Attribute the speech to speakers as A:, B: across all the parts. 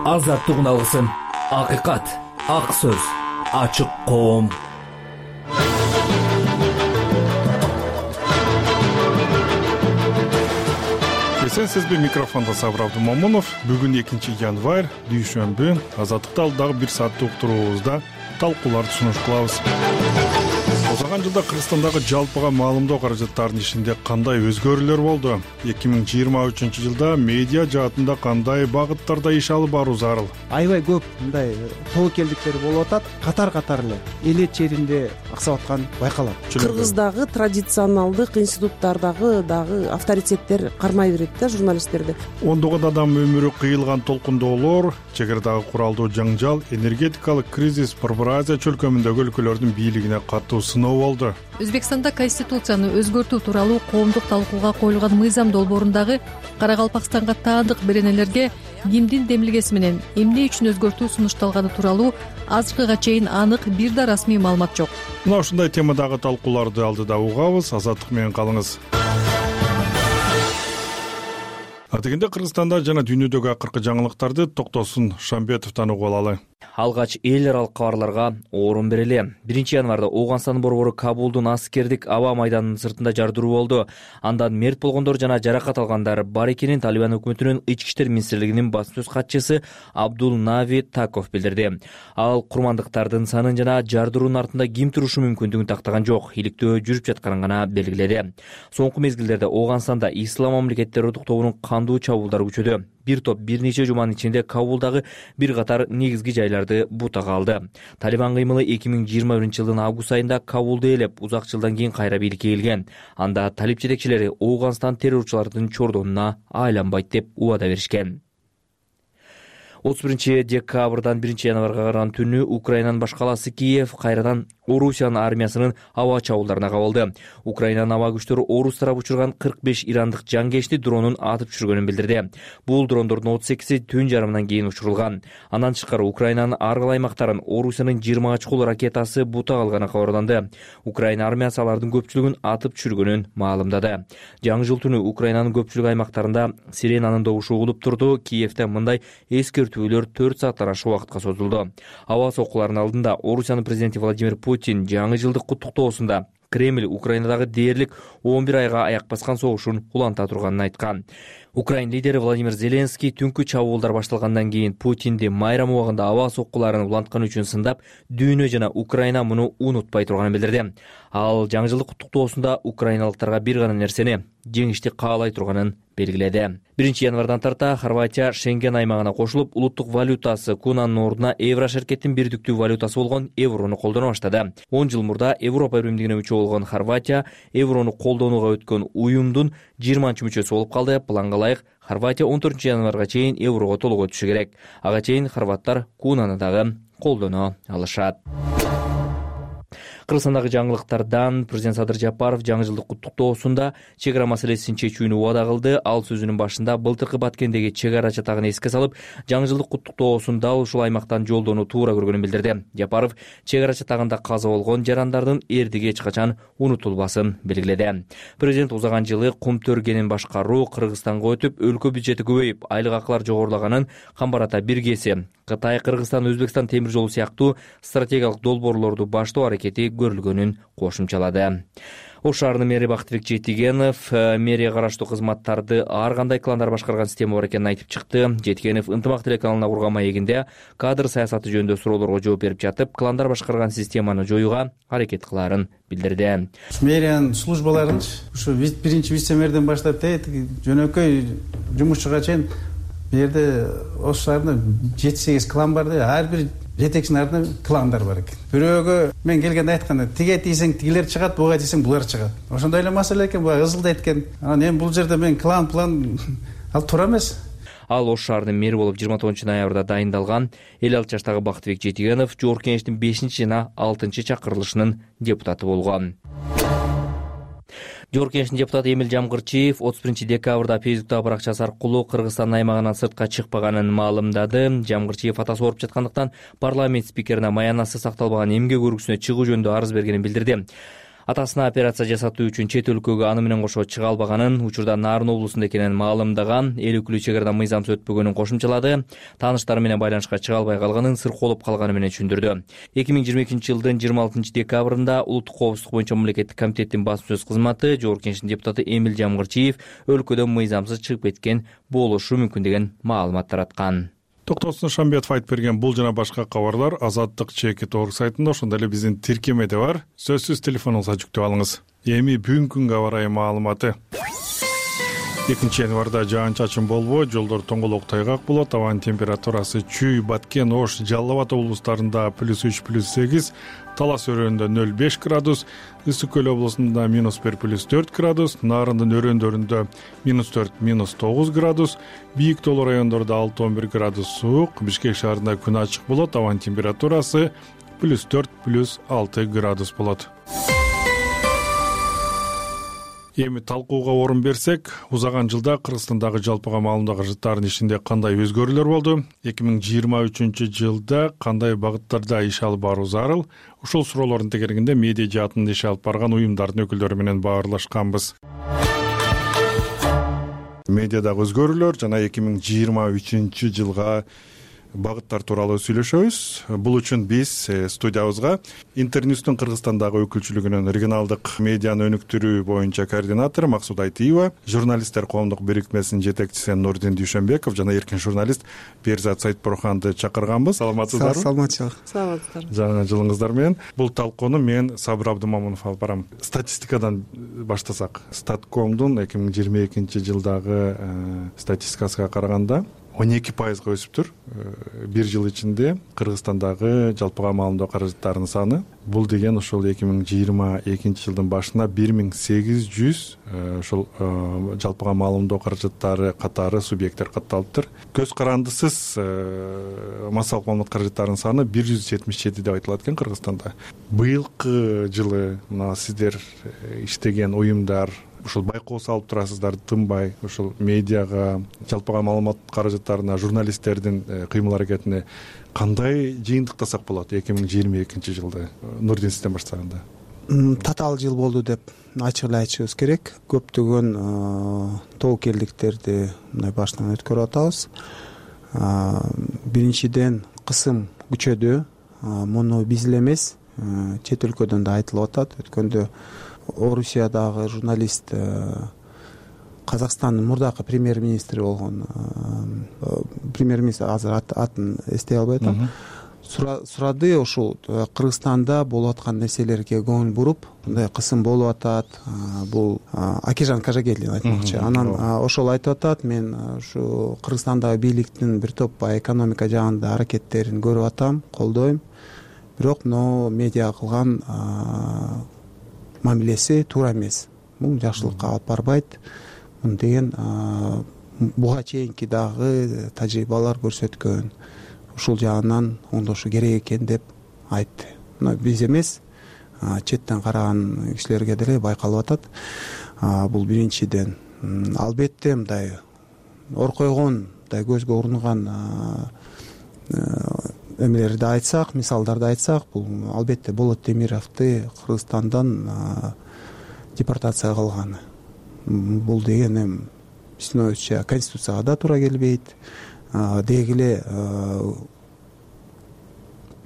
A: азаттыгын алгысың. Акыйкат, ак сөз, ачык коом.
B: Сизби микрофонда Сабыр Абдумомунов. Бүгүн 2 январь, дүйшөмбү. Азаттыкта алдагы 1 сааттык уктуруубузда талкууларды сунуш кылабыз. Озаган жылда Кыргызстандагы жалпыга маалымдоо каражаттарынын ишинде кандай өзгөрүүлөр болду? 2023-жылда медиа жаатында кандай багыттарда иш алып баруу зарыл?
C: Аябай көп мындай тобокелдиктер болуп атат. Катар эле эл черинде аксап аткан байкалат.
D: Кыргыздагы традиционалдык институттардагы дагы авторитеттер кармай берет да журналисттерди.
B: Ондогон адам өмүрү кыйылган толкундоолор, чек арадагы куралдуу жаңжал, энергетикалык кризис Борбор Азия чөлкөмүндөгү өлкөлөрдүн бийлигине катуу сыноо болду.
E: Өзбекстанда конституцияны өзгөртүү тууралуу коомдук талкууга коюлган мыйзам долбоорундагы Карагалпакстанга таандык беренелерге кимдин демилгеси менен эмне үчүн өзгөртүү сунушталганы тууралуу азыркыга чейин анык бир да расмий маалымат жок.
B: Мына ушундай темадагы талкууларды алдыда угабыз. Азаттык менен калыңыз. Атегенде Кыргызстанда жана дүйнөдөгү акыркы жаңылыктарды Токтосун Шамбетовдон угуп алалы.
F: Алгач эл аралык кабарларга орун берели. 1 январда Ооганстан борбору Кабулдун аскердик аба майданынын сыртында жардыруу болду. Андан мерт болгондор жана жаракат алгандар бар экенин Талибан өкмөтүнүн ички иштер министрлигинин басма сөз катчысы Абдул Нави Таков билдирди. Ал курмандыктардын санын жана жардыруунун артында ким турушу мүмкүндүгүн тактаган жок, иликтөө жүрүп жатканын гана белгиледи. Соңку мезгилдерде Ооганстанда Ислам мамлекет террордук тобунун кандуу чабуулдары күчөдү. Бир топ бир нече жуманын ичинде Кабулдагы бир катар негизги жайларды бутага алды. Талибан кыймылы 2021-жылдын август айында Кабулду ээлеп, узак жылдан кийин кайра бийликке келген. Анда талип жетекчилери Ооганстан террорчулардын чордонуна айланбайт деп убада беришкен. 31 декабрдан 1 январга караган түнү Украинанын баш калаасы Киев кайрадан Орусиянын армиясынын аба чабуулдарына кабылды. Украинанын аба күчтөрү Орус тарабы учурган 45 ирандык жангечти дронун атып түшүргөнүн билдирди. Бул дрондордун 38и түн жарымынан кийин учурулган. Андан тышкары Украинанын ар кайсы аймактарын Орусиянын 20 чукул ракетасы бутага алганы кабарланды. Украина армиясы алардын көпчүлүгүн атып түшүргөнүн маалымдады. Жаңы жыл түнү Украинанын көпчүлүк аймактарында сиренанын добушу угулуп турду. Киевде мындай эскертүүлөр 4 сааттан ашык убакытка созулду. Аба соккуларынын алдында Орусиянын президенти Владимир Путин жаңы жылдык куттуктоосунда Кремль Украинадагы дээрлик 11 айга аяк баскан согушун уланта турганын айткан. Украин лидери Владимир Зеленский түнкү чабуулдар башталгандан кийин Путинди майрам убагында аба соккуларын уланткан үчүн сындап, дүйнө жана Украина муну унутпай турганын билдирди. Ал жаңы жылдык куттуктоосунда украиналыктарга бир гана нерсени жеңишти каалай турганын белгиледи. 1 январдан тарта Хорватия Шенген аймагына кошулуп, улуттук валютасы кунанын ордуна евро шеркеттин бирдиктүү валютасы болгон еврону колдоно баштады. 10 жыл мурда Европа биримдигине мүчө болгон Хорватия еврону колдонууга өткөн уюмдун 20-мүчөсү болуп калды. Планга ылайык Хорватия 14 январга чейин еврого толугу өтүшү керек. Ага чейин хорваттар кунаны дагы колдоно алышат. Кыргызстандагы жаңылыктардан президент Садыр Жапаров жаңы жылдык куттуктоосунда чек ара маселесин чечүүнү убада кылды. Ал сөзүнүн башында былтыркы Баткендеги чек ара чатагын эске салып, жаңы жылдык куттуктоосун дал ушул аймактан жолдоону туура көргөнүн билдирди. Жапаров чек ара чатагында каза болгон жарандардын эрдиги эч качан унутулбасын белгиледи. Президент узаган жылы кум төргенин башкаруу Кыргызстанга өтүп, өлкө бюджети көбөйүп, айлык акылар жогорулаганын камбарата биргеси Кытай, Кыргызстан, Өзбекстан темир жолу сыяктуу стратегиялык долбоорлорду баштоо аракети көрүлгөнүн кошумчалады. Ош шаарынын мэри Бактыбек Жетигенов мэрия караштуу кызматтарды ар кандай кландар башкарган система бар экенин айтып чыкты. Жетигенов ынтымак телеканалына курган маегинде кадр саясаты жөнүндө суроолорго жооп берип жатып, кландар башкарган системаны жоюуга аракет кылаарын билдирди.
G: Мэриянын службаларын ушу биринчи вице-мэрден баштап жөнөкөй жумушчуга чейин бу жерде Ош шаарында 7-8 клан бар да, ар бир жетекчинин артында кландар бар экен. Бирөөгө мен келгенде айтканда, тиге тийсең тигилер чыгат, буга тийсең булар чыгат. Ошондой эле маселе экен, буга ызылдайт экен. Анан эми бул жерде мен клан ал туура эмес.
F: Ал Ош шаарынын мэри болуп 29 ноябрда дайындалган. 56 жаштагы Бактыбек Жетигенов Жогорку Кеңештин 5 жана 6 чакырылышынын депутаты болгон. Жогорку Кеңештин депутаты Эмил Жамгырчиев 31 декабрда Фейсбуктагы баракчасы аркылуу Кыргызстан аймагынан сыртка чыкпаганын маалымдады. Жамгырчиев атасы ооруп жаткандыктан парламент спикерине маянасы сакталбаган эмгек өргүсүнө чыгуу жөнүндө арыз бергенин билдирди. атасына операция жасатуу үчүн чет өлкөгө аны менен кошо чыга албаганын, учурда Нарын облусунда экенин маалымдаган, эл өкүлү чек арадан мыйзамсыз өтпөгөнүн кошумчалады. Тааныштары менен байланышка чыга албай калганын, сыркоолоп калганы менен түшүндүрдү. 2022-жылдын 26-декабрында Улуттук коопсуздук боюнча мамлекеттик комитеттин басма сөз кызматы Жогорку Кеңештин депутаты Эмил Жамгырчиев өлкөдөн мыйзамсыз чыгып кеткен болушу мүмкүн деген маалымат тараткан.
B: Токтосун Шамбетов айтып берген бул жана башка кабарлар Азаттык ЧК.org сайтында, ошондой эле биздин тиркемеде бар. Сөзсүз телефонуңузга жүктөп алыңыз. Эми бүгүнкү күнгө аба ырайы маалыматы. 2-январда жаан-чачын болбойт, жолдор тоңголок тайгак болот. Абанын температурасы Чүй, Баткен, Ош, Жалал Абад облустарында +3, +8, Талас өрөөнүндө 0,5 градус, Ысык Көл облусунда -1, +4 градус, Нарындын өрөөндөрүндө -4, -9 градус, Бийик тоолуу райондордо 6-11 градус суук, Бишкек шаарында күн ачык болот. Абанын температурасы +4, +6 градус болот. Эми талкууга орун берсек, узаган жылда Кыргызстандагы жалпыга маалымдоо каражаттарынын ишинде кандай өзгөрүүлөр болду? 2023-жылда кандай багыттарда иш алып баруу зарыл? Ушул суроолордун тегерегинде медиа жаатында иш алып барган уюмдардын өкүлдөрү менен баарлашканбыз. Медиадагы өзгөрүүлөр жана 2023-жылга багыттар тууралуу сүйлөшөбүз. Бул үчүн биз студиябызга Интерньюстун Кыргызстандагы өкүлчүлүгүнүн регионалдык медианы өнүктүрүү боюнча координатору Максут Айтиева, журналисттер коомдук бирикмесинин жетекчиси Нурдин Дүйшөнбеков жана эркин журналист Берзат Сайтбурханды чакырганбыз. Саламатсыздарбы?
C: Саламатчылык.
D: Саламатсыздар.
B: Жаңы жылыңыздар менен. Бул талкууну мен Сабыр Абдымамунов алып барам. Статистикадан баштасак, Статкомдун 2022-жылдагы статистикасына караганда 12%-га өсүптүр. Бир жыл ичинде Кыргызстандагы жалпыга маалымдоо каражаттарынын саны. Бул деген ошол 2022-жылдын башына 1800 ошол жалпыга маалымдоо каражаттары катары субъекттер катталыптыр. Көз карандысыз массалык маалымат каражаттарынын саны 177 деп айтылат экен Кыргызстанда. Быйылкы жылы мына сиздер иштеген уюмдар ушул байкоо салып турасыздар, тынбай ушул медиага, жалпыга маалымат каражаттарына, журналисттердин кыймыл аракетине кандай жыйынтыктасак болот 2022-жылды? Нурдин, сизден баштаганда.
C: Татаал жыл болду деп ачык эле айтышыбыз керек. Көптөгөн тобокелдиктерди мындай башынан өткөрүп атабыз. Биринчиден кысым күчөдү. Муну биз эле эмес, чет өлкөдөн да айтылып атат. Өткөндө Орусиядагы журналист, Казакстандын мурдакы премьер-министри болгон премьер-министр, азыр атын эстей албай атам, сурады ушул Кыргызстанда болуп аткан нерселерге көңүл буруп, мындай кысым болуп атат. Бул Акижан Кажагелдин айтмакчы. Анан ошол айтып атат, мен ушу Кыргызстандагы бийликтин бир топ экономика жагында аракеттерин көрүп атам, колдойм. Бирок медиа кылган мамилеси туура эмес. Бул жакшылыкка алып барбайт. Муну деген буга чейинки дагы тажрыйбалар көрсөткөн. Ушул жагынан оңдошу керек экен деп айтты. Мына биз эмес, четтен караган кишилерге деле байкалып атат. Бул биринчиден. Албетте мындай ор койгон, мындай көзгө урунган эмелерди айтсак, мисалдарды айтсак, бул албетте Болот Темировду Кыргызстандан депортация кылганы. Бул деген эми биздин оюбузча конституцияга да туура келбейт. Деги эле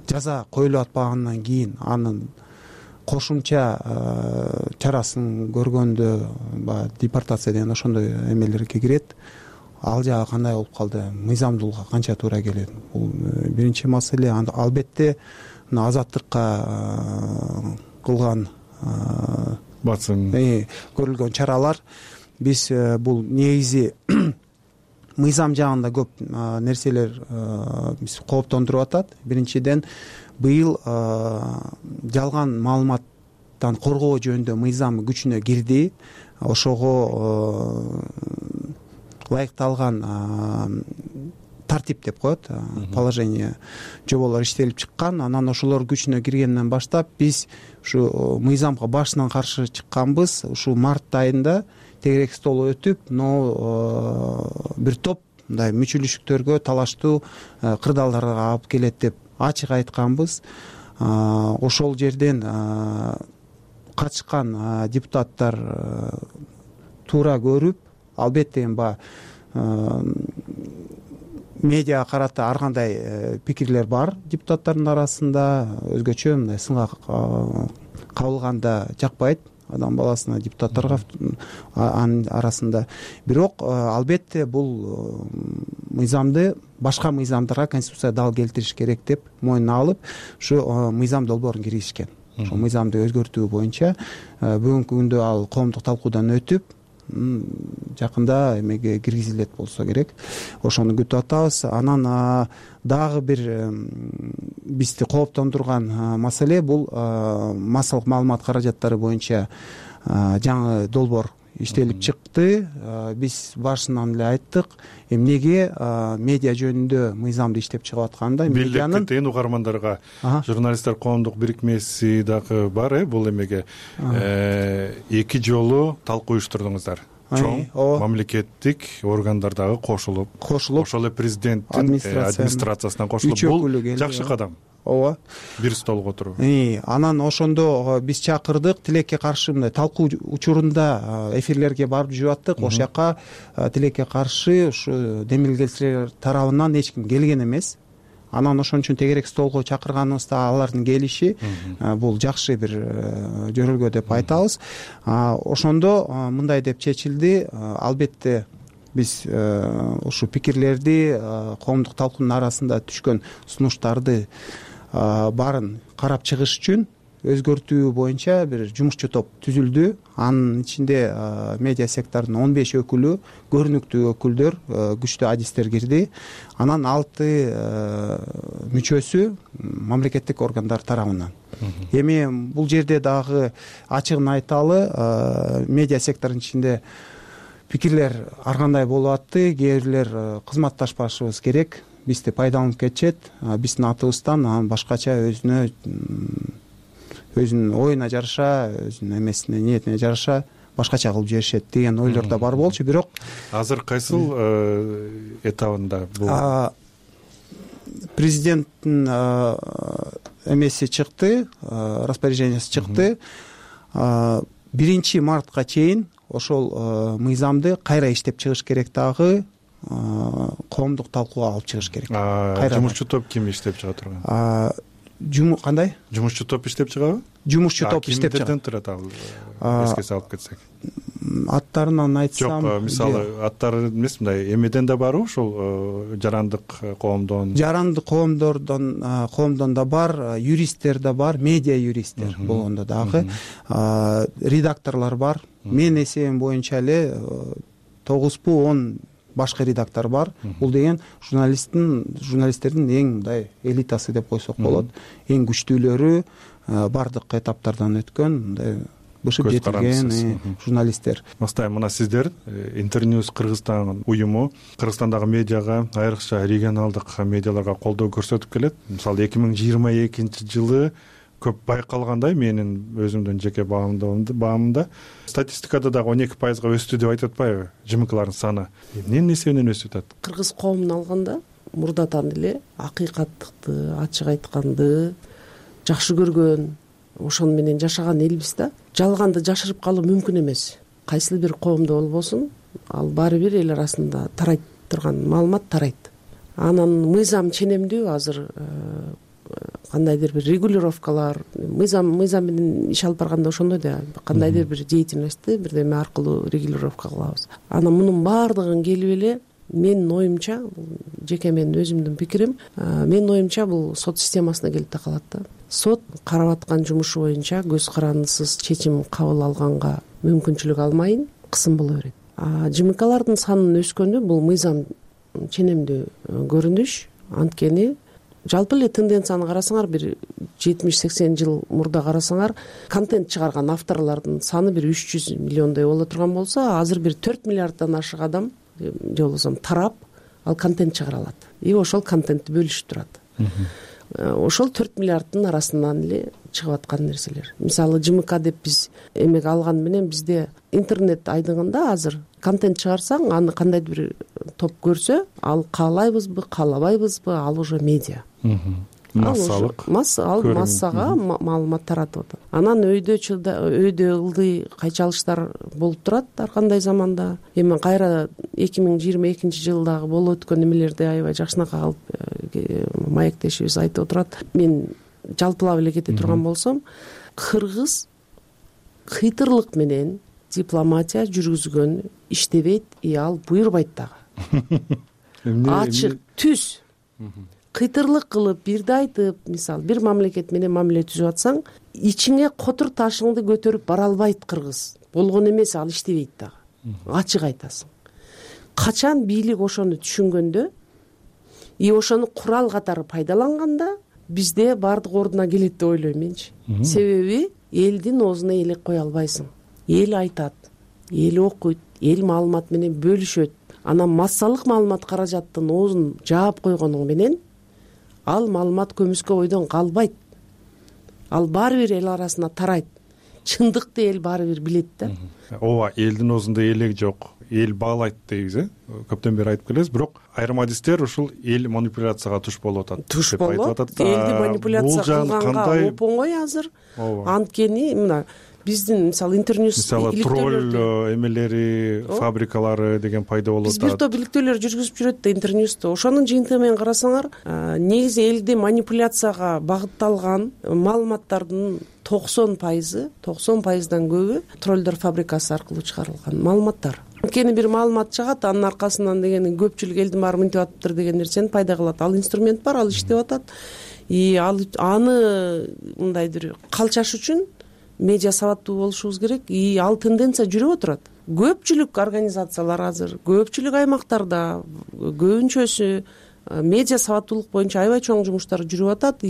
C: жаза коюлуп атпагандан кийин анын кошумча чарасын көргөндө депортация деген ошондой эмелерге кирет. Ал жагы кандай болуп калды, мыйзамдуулукка канча туура келет? Бул биринчи маселе. Албетте азаттыкка кылган
B: басым,
C: көрүлгөн чаралар, биз бул негизи мыйзам жагында көп нерселер биз кооптондуруп атат. Биринчиден, быйыл жалган маалыматтан коргоо жөнүндө мыйзам күчүнө кирди. Ошого ылайыкталган тартип деп коет, положение, жоболор иштелип чыккан. Анан ошолор күчүнө киргенден баштап биз ушу мыйзамга башынан каршы чыкканбыз. Ушу март айында тегерек стол өтүп, бир топ мындай мүчүлүштүктөргө, талаштуу кырдаалдарга алып келет деп ачык айтканбыз. Ошол жерден катышкан депутаттар туура көрүп, албетте эми баягы медиага карата ар кандай пикирлер бар депутаттардын арасында. Өзгөчө мындай сынга кабылганда жакпайт адам баласына, депутаттарга анын арасында. Бирок албетте бул мыйзамды башка мыйзамдарга конституция дал келтириш керек деп мойнуна алып, ушу мыйзам долбоорун киргизишкен. Ошол мыйзамды өзгөртүү боюнча бүгүнкү күндө ал коомдук талкуудан өтүп, жакында эмеге киргизилет болсо керек. Ошону күтүп атабыз. Анан дагы бир бизди кооптондурган маселе бул массалык маалымат каражаттары боюнча жаңы долбоор иштелип чыкты. Биз башынан эле айттык, эмнеге медиа жөнүндө мыйзамды иштеп чыгып атканда
B: медианын билдиртейин угармандарга. Журналисттер коомдук бирикмеси дагы бар. Бул эмеге 2 жолу талкуу уюштурдуңуздар. Чоң мамлекеттик органдар дагы кошулуп, ошол эле президенттин администрациясынан кошулуп, бул жакшы кадам.
C: Ооба.
B: Бир столго отуруп.
C: Анан ошондо биз чакырдык, тилекке каршы мындай талкуу учурунда эфирлерге барып жүрүп аттык. Ошол жака тилекке каршы ушу демилгелчилер тарабынан эч ким келген эмес. Анан ошон үчүн тегерек столго чакырганыбызда алардын келиши бул жакшы бир жөрөлгө деп айтабыз. Ошондо мындай деп чечилди. Албетте биз ушу пикирлерди, коомдук талкуунун арасында түшкөн сунуштарды баарын карап чыгыш үчүн өзгөртүү боюнча бир жумушчу топ түзүлдү. Анын ичинде медиа сектордун 15 өкүлү, көрүнүктүү өкүлдөр, күчтүү адистер кирди. Анан 6 мүчөсү мамлекеттик органдар тарабынан. Эми бул жерде дагы ачыгын айталы, медиа секторунун ичинде пикирлер ар кандай болуп атты. Кээ бирлер кызматташпашыбыз керек, бизди пайдаланып кетишет, биздин атыбыздан анан башкача өзүнүн оюна жараша, өзүнүн эмесине, ниетине жараша башкача кылып жиберишет деген ойлор да бар болчу. Бирок
B: азыр кайсыл этабында бул?
C: Президенттин эмеси чыкты, распоряжениясы чыкты. 1 мартка чейин ошол мыйзамды кайра иштеп чыгыш керек, дагы коомдук талкууга алып чыгыш керек.
B: Жумушчу топ ким иштеп чыга турган?
C: Кандай?
B: Жумушчу топ иштеп чыгабы?
C: Жумушчу топ иштеп чыгат.
B: Кимдерден турат ал? Эске салып кетсек.
C: Аттарынан айтсам,
B: жок, мисалы аттары эмес, мындай эмеден да барбы ошол жарандык коомдон? Жарандык
C: коомдон да бар, юристтер да бар, медиа юристтер болгондо дагы, редакторлор бар. Мен эсебим боюнча эле 9-10 башкы редактор бар. Бул деген журналисттердин эң мындай элитасы деп койсок болот. Эң күчтүүлөрү, бардык этаптардан өткөн мындай бышып жетилген журналисттер.
B: Мастайым, мына сиздер Интерньюз Кыргызстан уюму Кыргызстандагы медиага, айрыкча регионалдык медиаларга колдоо көрсөтүп келет. Мисалы 2022-жылы көп байкалгандай, менин өзүмдүн жеке баамымда статистикада дагы 12%га өстү деп айтып атпайбы ЖМКлардын саны? Эмненин эсебинен өсүп атат?
D: Кыргыз коомун алганда мурдатан эле акыйкаттыкты, ачык айтканды жакшы көргөн, ошону менен жашаган элбиз да. Жалганды жашырып калуу мүмкүн эмес. Кайсыл бир коомдо болбосун, ал баары бир эл арасында тарайт турган маалымат тарайт. Анан мыйзам ченемдүү, азыр кандайдыр бир регулировкалар, мыйзам менен иш алып барганда ошондой да, кандайдыр бир деятельностьти бирдеме аркылуу регулировка кылабыз. Анан мунун баардыгын келип эле менин оюмча, жеке менин өзүмдүн пикирим, менин оюмча бул сот системасына келип такалат да. Сот карап аткан жумушу боюнча көз карандысыз чечим кабыл алганга мүмкүнчүлүк алмайын, кысым боло берет. ЖМКлардын санынын өскөнү бул мыйзам ченемдүү көрүнүш. Анткени жалпы эле тенденцияны карасаңар, бир 70-80 жыл мурда карасаңар, контент чыгарган авторлордун саны бир 300 миллиондой боло турган болсо, азыр бир 4 миллиарддан ашык адам же болбосо тарап ал контент чыгара алат. И ошол контентти бөлүшүп турат. Ошол 4 миллиарддын арасынан эле чыгып аткан нерселер. Мисалы ЖМК деп биз эмеге алган менен бизде интернет айдыгында азыр контент чыгарсаң, аны кандайдыр бир топ көрсө, ал каалайбызбы, каалабайбызбы, ал уже медиа.
B: массалык
D: ал массага маалымат таратып атат. Анан өйдө ылдый кайчалыштар болуп турат ар кандай заманда. Эми кайра 2022 жылдагы болуп өткөн эмелерди аябай жакшынакай алып маектешибиз айтып отурат. Мен жалпылап эле кете турган болсом, кыргыз кыйтырлык менен дипломатия жүргүзгөн иштебейт, ал буйрубайт дагы. Ачык түз кыйтырлык кылып бирди айтып, мисалы бир мамлекет менен мамиле түзүп атсаң, ичиңе котур ташыңды көтөрүп бара албайт кыргыз. Болгон эмес, ал иштебейт дагы. Ачык айтасың. Качан бийлик ошону түшүнгөндө, ошону курал катары пайдаланганда, бизде баардык ордуна келет деп ойлойм менчи. Себеби элдин оозуна элек кое албайсың. Эл айтат, эл окуйт, эл маалымат менен бөлүшөт. Анан массалык маалымат каражаттын оозун жаап койгонуң менен ал маалымат көмүскө бойдон калбайт. Ал баары бир эл арасына тарайт. Чындыкты эл баары бир билет да.
B: Ооба, элдин оозунда элек жок, эл баалайт дейбиз, көптөн бери айтып келебиз, бирок айрым адистер ушул эл манипуляцияга туш болуп атат.
D: Туш болот. Элди манипуляция кылганга оңой азыр. Анткени мына биздин мисалы интерньюс
B: тролль эмелери, фабрикалары деген пайда болуп атат.
D: Биз бир топ иликтөөлөр жүргүзүп жүрөт да интерньюсту. Ошонун жыйынтыгы менен карасаңар, негизи элди манипуляцияга багытталган маалыматтардын 90%дан көбү троллдор фабрикасы аркылуу чыгарылган маалыматтар. Анткени бир маалымат чыгат, анын аркасынан дегени көпчүлүк элдин баары мынтип атыптыр деген нерсени пайда кылат. Ал инструмент бар, ал иштеп атат. Аны мындай бир калчаш үчүн медиа сабаттуу болушубуз керек. Ал тенденция жүрүп отурат. Көпчүлүк организациялар азыр, көпчүлүк аймактарда, көбүнчөсү медиа сабаттуулук боюнча аябай чоң жумуштар жүрүп атат.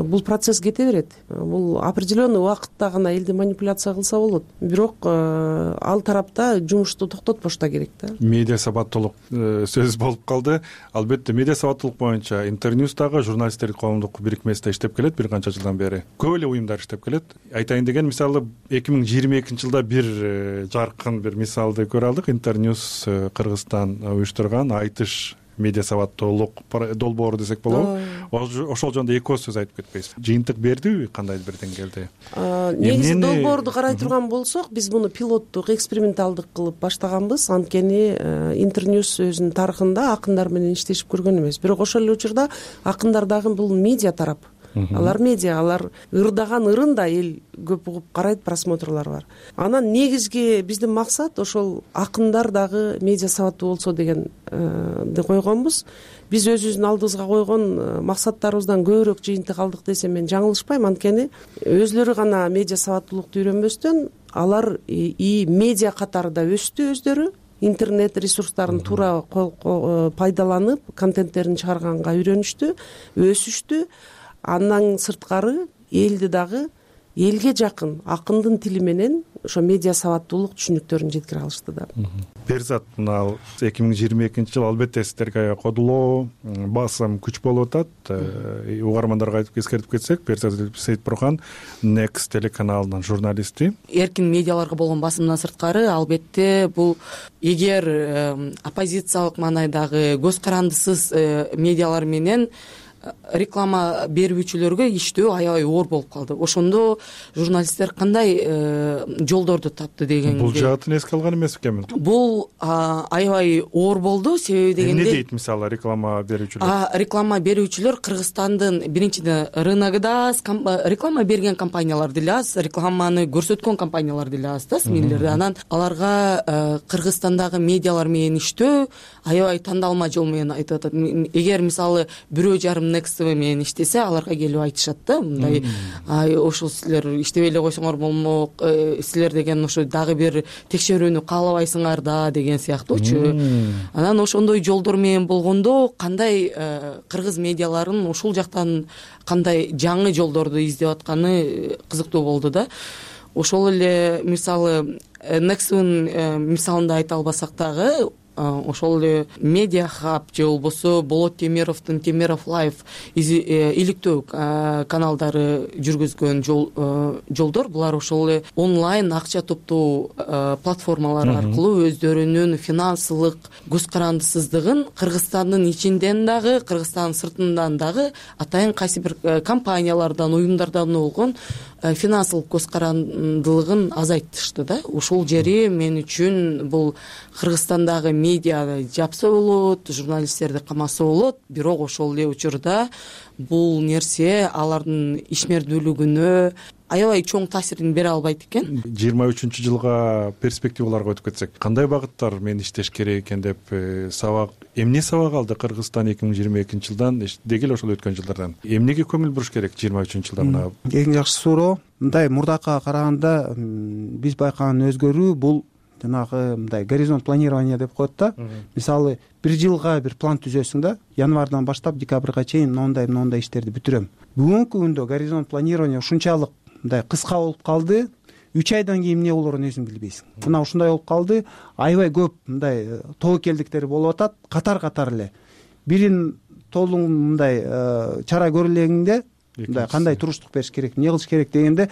D: Бул процесс кете берет. Бул определенный убакытта гана элди манипуляция кылса болот. Бирок ал тарапта жумушту токтотпош да керек да.
B: Медиа сабаттуулук сөз болуп калды. Албетте медиа сабаттуулук боюнча интерньюстагы журналисттер коомдук бирикмеси иштеп келет бир канча жылдан бери. Көп эле уюмдар иштеп келет. Айтайын деген мисалы 2022 жылда бир жаркын бир мисалды көрө алдык. Интерньюс Кыргызстан уюштурган айтыш медиа сабаттуулук долбоору десек болобу. Ошол жөнүндө эки сөз айтып кетпейсиз. Жыйынтык бердиби, кандайдыр бир деңгээлде?
D: Негизи долбоорду карай турган болсок, биз муну пилоттук, эксперименталдык кылып баштаганбыз. Анткени интерньюс өзүнүн тарыхында акындар менен иштешип көргөн эмес. Бирок ошол эле учурда акындар дагы бул медиа тарап. Алар медиа, алар ырдаган ырын да эл көп угуп карайт, просмотрлор бар. Анан негизги биздин максат ошол акындар дагы медиа сабаттуу болсо дегенди койгонбуз. Биз өзүбүздүн алдыбызга койгон максаттарыбыздан көбүрөөк жыйынтык алдык десем мен жаңылышпайм. Анткени өзлөрү гана медиа сабаттуулукту үйрөнбөстөн алар медиа катары да өстү өздөрү. Интернет ресурстарын туура пайдаланып, контенттерин чыгарганга үйрөнүштү, өсүштү. Андан сырткары элди дагы элге жакын акындын тили менен ошо медиа сабаттуулук түшүнүктөрүн жеткире алышты да.
B: Перизат, мына 2022 жыл албетте сиздерге аябай кодулоо, басым күч болуп атат. Угармандарга айтып эскертип кетсек, Перизат Сейитбурхан Next телеканалынын журналисти.
H: Эркин медиаларга болгон басымдан сырткары албетте бул эгер оппозициялык маанайдагы көз карандысыз медиалар менен реклама берүүчүлөргө иштөө аябай оор болуп калды. Ошондо журналисттер кандай жолдорду тапты дегенге.
B: Бул жаатын эске алган эмес экенмин.
H: Бул аябай оор болду. Себеби дегенде
B: эмне дейт мисалы реклама берүүчүлөр?
H: Реклама берүүчүлөр Кыргызстандын биринчиден рыногунда реклама берген компаниялар деле аз, рекламаны көрсөткөн компаниялар деле аз да, смеллерди. Анан аларга Кыргызстандагы медиалар менен иштөө аябай тандалма жол менен айтып атат. Эгер мисалы бирөө жарым Next менен иштесе, аларга келип айтышат да, мындай ошол силер иштебей эле койсоңор болмок, силер деген ошо дагы бир текшерүүнү каалабайсыңар да деген сыяктуучу. Анан ошондой жолдор менен болгондо кандай кыргыз медиаларын ушул жактан кандай жаңы жолдорду издеп атканы кызыктуу болду да. Ошол эле мисалы Next'ын мисалында айта албасак дагы ошол эле медиа хаб же болбосо Болот Темировдун Темиров лайф иликтөө каналдары жүргүзгөн жолдор булар ошол эле онлайн акча топтоо платформалары аркылуу өздөрүнүн финансылык көз карандысыздыгын Кыргызстандын ичинден дагы Кыргызстандын сыртынан дагы атайын кайсы бир компаниялардан уюмдардан болгон финансылык көз карандылыгын азайтышты да. Ушул жери мен үчүн бул Кыргызстандагы медиа жапса болот, журналисттерди камаса болот, бирок ошол эле учурда бул нерсе алардын ишмердүүлүгүнө аябай чоң таасирин бере албайт экен.
B: 23-жылга перспективаларга өтүп кетсек, кандай багыттар менен иштеш керек экен деп сабак эмне сабак алды Кыргызстан 2022-жылдан деги эле ошол өткөн жылдардан? Эмнеге көңүл буруш керек 23-жылда?
C: Эң жакшы суроо. Мындай мурдакка караганда биз байкаган өзгөрүү бул жанагы мындай горизонт планирование деп коет да. Мисалы, бир жылга бир план түзөсүң да, январдан баштап декабрга чейин мындай иштерди бүтүрөм. Бүгүнкү күндө горизонт планирование ушунчалык мындай кыска болуп калды. 3 айдан кийин эмне болорун өзүң билбейсиң. Мына ушундай болуп калды. Аябай көп мындай тобокелдиктер болуп атат, катар эле. Бирин толуң мындай чара көрүлгөндө мындай кандай туруштук бериш керек, эмне кылыш керек дегенде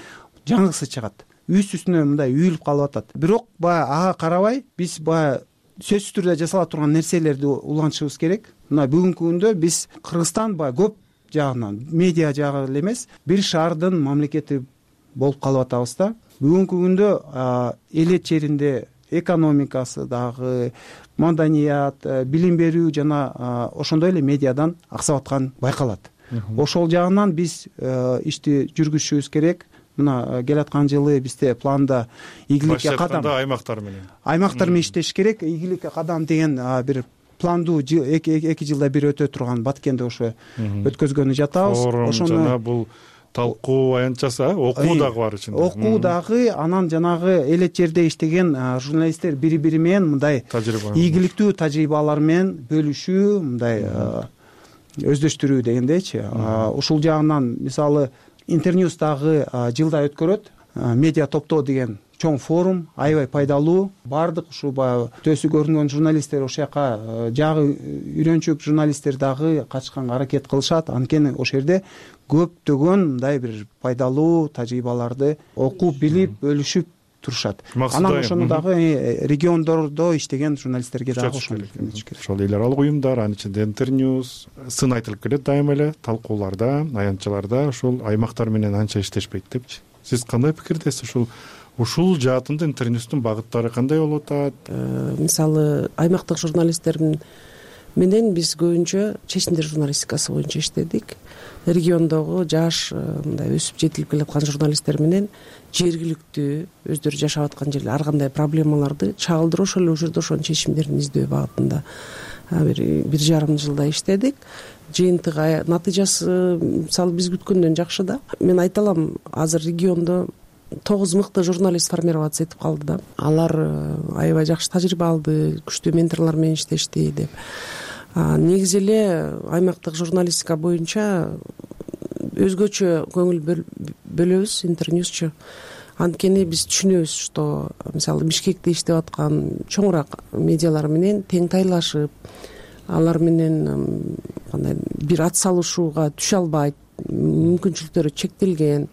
C: жаңысы чыгат. Үстүнө мындай үйүлүп калып атат. Бирок баягы ага карабай биз баягы сөзсүз түрдө жасала турган нерселерди улантышыбыз керек. Мына бүгүнкү күндө биз Кыргызстан баягы көп жагынан, медиа жагы эле эмес, бир шаардын мамлекети болуп калып атабыз да. Бүгүнкү күндө эл черинде экономикасы дагы, маданият, билим берүү жана ошондой эле медиадан аксап аткан байкалат. Ошол жагынан биз ишти жүргүзүшүбүз керек. Мына келаткан жылы бизде планда ийгиликке кадам аймактар менен иштеш керек. Ийгиликке кадам деген бир планду 2 жылда бир өтө турган Баткенде ошо өткөзгөнү жатабыз.
B: Ошону жана бул талкуу аянтчасы, окуу дагы бар ичинде.
C: Окуу дагы, анан жанагы эл жерде иштеген журналисттер бири-бири менен мындай ийгиликтүү тажрыйбалар менен бөлүшүү, мындай өздөштүрүү дегендейчи. Ушул жагынан мисалы Интерньюз дагы жылда өткөрөт. Медиа топтоо деген чоң форум, аябай пайдалуу. Бардык ушу баягы төсү көрүнгөн журналисттер ошол жака жагы үйрөнчүк журналисттер дагы катышканга аракет кылышат. Анткени ошол жерде көптөгөн мындай бир пайдалуу тажрыйбаларды окуп, билип, бөлүшүп турушат. Анан ошону дагы региондордо иштеген журналисттерге дагы ошону керек.
B: Ошол эл аралык уюмдар, анын ичинде Интерньюз сын айтылып келет дайыма эле талкууларда, аянтчаларда ошол аймактар менен анча иштешпейт депчи. Сиз кандай пикирдесиз? Ушул жаатында Интерньюздун багыттары кандай болуп атат?
D: Мисалы, аймактык журналисттер менен биз көбүнчө чечимдер журналистикасы боюнча иштедик. Региондогу жаш мындай өсүп жетилип келаткан журналисттер менен жергиликтүү өздөрү жашап аткан жерде ар кандай проблемаларды чагылдырып ошол эле учурда ошонун чечимдерин издөө багытында бир 1,5 жылда иштедик. Жыйынтыгы, натыйжасы мисалы биз күткөндөн жакшы да. Мен айта алам, азыр региондо 9 мыкты журналист формироваться этип калды да. Алар аябай жакшы тажрыйба алды, күчтүү менторлор менен иштешти деп. Негизи эле аймактык журналистика боюнча өзгөчө көңүл бөлөбүз Интерньюзчу. Анткени биз түшүнөбүз, что мисалы Бишкекте иштеп аткан чоңураак медиалар менен тең тайлашып, алар менен кандай бир ат салышууга түшө албайт, мүмкүнчүлүктөрү чектелген.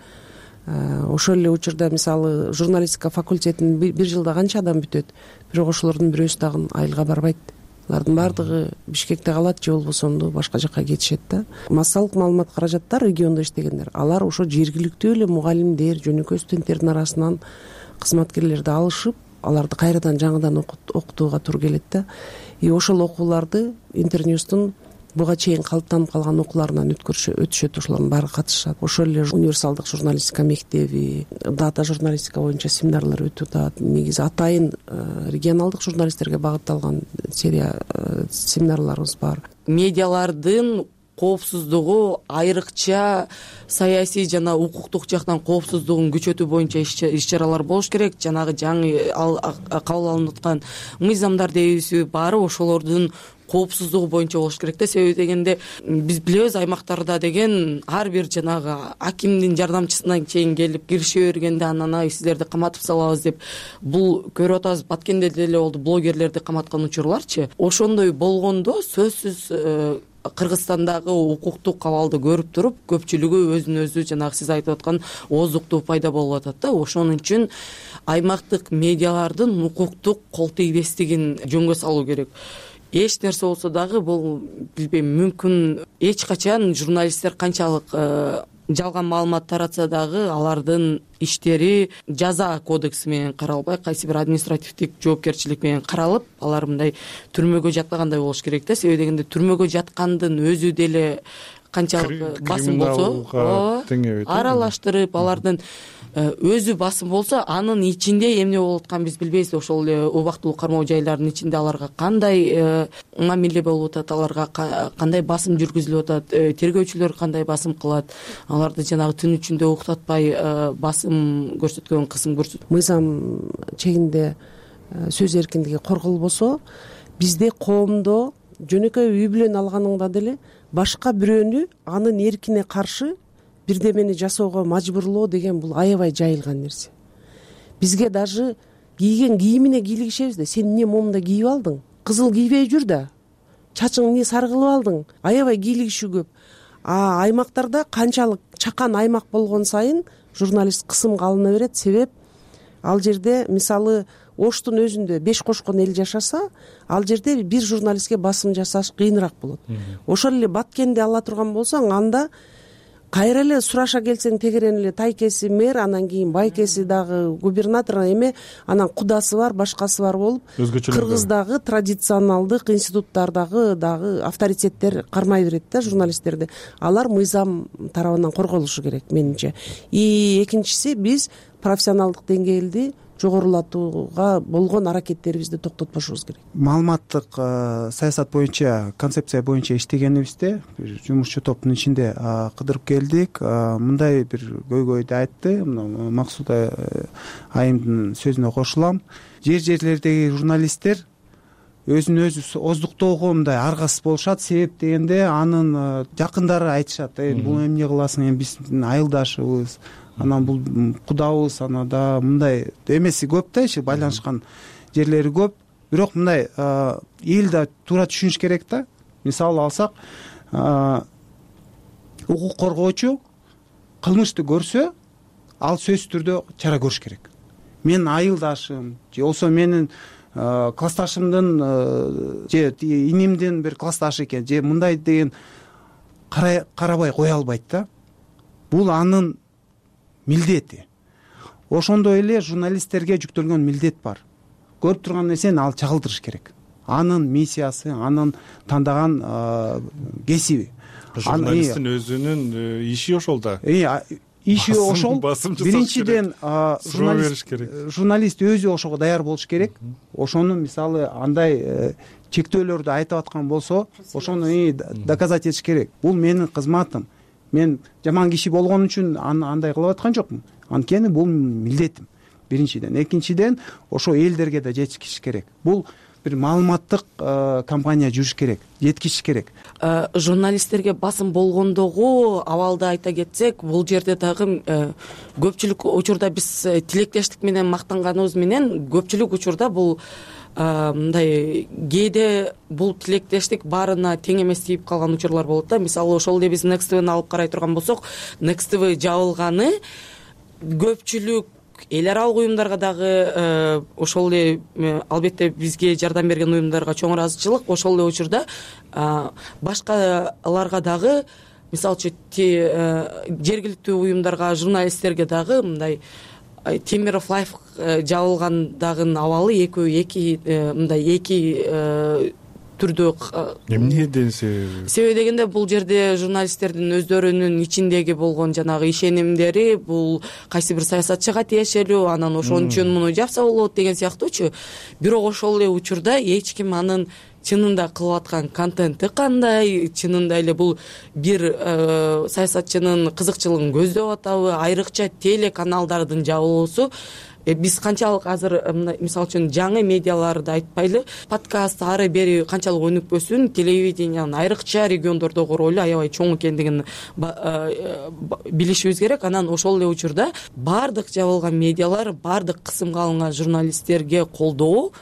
D: Ошол эле учурда мисалы журналистика факультетин бир жылда канча адам бүтөт, бирок ошолордун бирөөсү дагы айылга барбайт. Алардын баардыгы Бишкекте калат же болбосо башка жака кетишет да. Массалык маалымат каражаттар региондо иштегендер, алар ошо жергиликтүү эле мугалимдер, жөнөкөй студенттердин арасынан кызматкерлерди алышып, аларды кайрадан жаңыдан окутууга туура келет да. И ошол окууларды Интерньюздун буга чейин калыптанып калган окууларынан өтүшөт, ошолордун баары катышат. Ошол эле универсалдык журналистика мектеби, дата журналистика боюнча семинарлар өтүп атат. Негизи атайын регионалдык журналисттерге багытталган серия семинарларыбыз бар.
H: Медиалардын коопсуздугу, айрыкча саясий жана укуктук жактан коопсуздугун күчөтүү боюнча иш чаралар болуш керек. Жанагы жаңы кабыл алынып аткан мыйзамдар дейбизби, баары ошолордун коопсуздугу боюнча болуш керек да. Себеби дегенде биз билебиз, аймактарда деген ар бир жанагы акимдин жардамчысына чейин келип кирише бергенде анан сиздерди каматып салабыз деп, бул көрүп атабыз, Баткенде деле болду, блогерлерди каматкан учурларчы. Ошондой болгондо сөзсүз Кыргызстандагы укуктук абалды көрүп туруп, көпчүлүгү өзүн өзү жанагы сиз айтып аткан ооздуктуу пайда болуп атат да. Ошон үчүн аймактык медиалардын укуктук кол тийбестигин жөнгө салуу керек. Эч нерсе болсо дагы бул билбейм, мүмкүн эч качан журналисттер канчалык жалган маалымат таратса дагы алардын иштери жаза кодекси менен каралбай, кайсы бир административдик жоопкерчилик менен каралып, алар мындай түрмөгө жатпагандай болуш керек да. Себеби дегенде түрмөгө жаткандын өзү деле канчалык басым болсо аралаштырып, алардын өзү басым болсо, анын ичинде эмне болуп атканын биз билбейбиз. Ошол эле убактылуу кармоо жайларынын ичинде аларга кандай мамиле болуп атат, аларга кандай басым жүргүзүлүп атат, тергөөчүлөр кандай басым кылат, аларды жанагы түн ичинде уктатпай басым көрсөткөн, кысым көрсөткөн.
D: Мыйзам чегинде сөз эркиндиги корголбосо, бизде коомдо жөнөкөй үй бүлөнү алганыңда деле башка бирөөнү анын эркине каршы бирдемени жасоого мажбурлоо деген бул аябай жайылган нерсе. Бизге даже кийген кийимине кийлигишебиз да. Сен эмне момундай кийип алдың? Кызыл кийбей жүр да. Чачың эмне сары кылып алдың? Аябай кийлигишүү көп. Аймактарда канчалык чакан аймак болгон сайын журналист кысымга алына берет. Себеп ал жерде мисалы Оштун өзүндө 5 кошкон эл жашаса, ал жерде бир журналистке басым жасаш кыйыныраак болот. Ошол эле Баткенди ала турган болсоң, анда кайра эле сураша келсең, тегерен эле тайкеси мэр, анан кийин байкеси дагы губернатор эме, анан кудасы бар, башкасы бар болуп, Кыргыздагы традиционалдык институттардагы дагы авторитеттер кармай берет да журналисттерди. Алар мыйзам тарабынан корголушу керек менимче. Экинчиси, биз профессионалдык деңгээлди жогорулатууга болгон аракеттерибизди токтотпошубуз керек.
C: Маалыматтык саясат боюнча, концепция боюнча иштегенибизде бир жумушчу топтун ичинде кыдырып келдик. Мындай бир көйгөйдү айтты. Максуда айымдын сөзүнө кошулам. Жерлердеги журналисттер өзүн өзү оздуктоого мындай аргасыз болушат. Себеп дегенде анын жакындары айтышат: бул эмне кыласың, эми биздин айылдашыбыз, анан бул кудабыз, анада мындай эмеси көп да, иши байланышкан жерлери көп. Бирок мындай эл да туура түшүнүш керек да. Мисалы алсак, укук коргоочу кылмышты көрсө, ал сөзсүз түрдө чара көрүш керек. Менин айылдашым же болсо менин классташымдын же инимдин бир классташы экен, же мындай деген карабай кое албайт да. Бул анын милдети. Ошондой эле журналисттерге жүктөлгөн милдет бар. Көрүп турган нерсени ал чагылдырыш керек. Анын миссиясы, анын тандаган кесиби.
B: Журналисттин өзүнүн иши ошол да.
C: Иши ошол. Биринчиден журналист өзү ошого даяр болуш керек. Ошону мисалы андай чектөөлөрдү айтып аткан болсо, ошону доказать этиш керек. Бул менин кызматым. Мен жаман киши болгон үчүн андай кылып аткан жокмун. Анткени бул милдетим. Биринчиден. Экинчиден, ошо элдерге да жеткизиш керек. Бул бир маалыматтык компания жүрүш керек, жеткизиш керек.
H: Журналисттерге басым болгондогу абалды айта кетсек, бул жерде дагы көпчүлүк учурда биз тилектештик менен мактанганыбыз менен, көпчүлүк учурда бул мындай кээде бул тилектештик баарына тең эмес тийип калган учурлар болот да. Мисалы ошол эле биз Next TV'ни алып карай турган болсок, Next TV жабылганы көпчүлүк эл аралык уюмдарга дагы, ошол эле албетте бизге жардам берген уюмдарга чоң ыраазычылык. Ошол эле учурда башкаларга дагы, мисалы үчүн жергиликтүү уюмдарга, журналисттерге дагы мындай Темиров Лайф жабылгандагы абалы эки түрдө.
B: Эмне десе?
H: Себеби дегенде бул жерде журналисттердин өздөрүнүн ичиндеги болгон жанагы ишенимдери, бул кайсы бир саясатчыга тиешелүү, анан ошон үчүн муну жапса болот деген сыяктуучу. Бирок ошол эле учурда эч ким анын чынында кылып аткан контенти кандай, чынында эле бул бир саясатчынын кызыкчылыгын көздөп атабы, айрыкча телеканалдардын жабылуусу. Биз канчалык азыр мисалы үчүн жаңы медиаларды айтпайлы, подкаст ары бери канчалык өнүкпөсүн, телевидениянын айрыкча региондордогу ролу аябай чоң экендигин билишибиз керек. Анан ошол эле учурда бардык жабылган медиалар, бардык кысымга алынган журналисттерге колдоо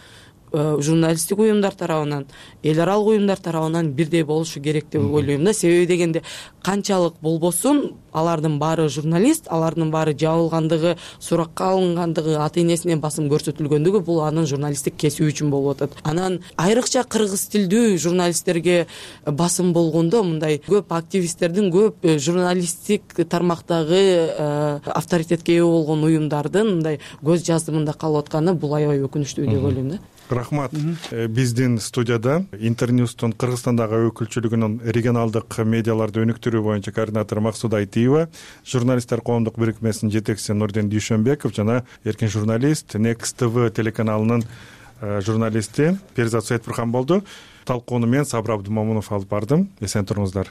H: журналисттик уюмдар тарабынан, эл аралык уюмдар тарабынан бирдей болушу керек деп ойлойм да. Себеби дегенде канчалык болбосун, алардын баары журналист, алардын баары жабылгандыгы, суракка алынгандыгы, ата-энесинен басым көрсөтүлгөндүгү бул анын журналисттик кесиби үчүн болуп атат. Анан айрыкча кыргыз тилдүү журналисттерге басым болгондо мындай көп активисттердин, көп журналисттик тармактагы авторитетке ээ болгон уюмдардын мындай көз жаздымында калып атканы бул аябай өкүнүчтүү деп ойлойм да.
B: Рахмат. Биздин студияда Интерньюстун Кыргызстандагы өкүлчүлүгүнүн регионалдык медиаларды өнүктүрүү боюнча координатору Максуда Айтиева, журналисттер коомдук бирикмесинин жетекчиси Нурдин Дүйшөнбеков жана эркин журналист Next TV телеканалынын журналисти Перизат Саитбурхан болду. Талкууну мен Сабыр Абдумомунов алып бардым. Эсен туруңуздар.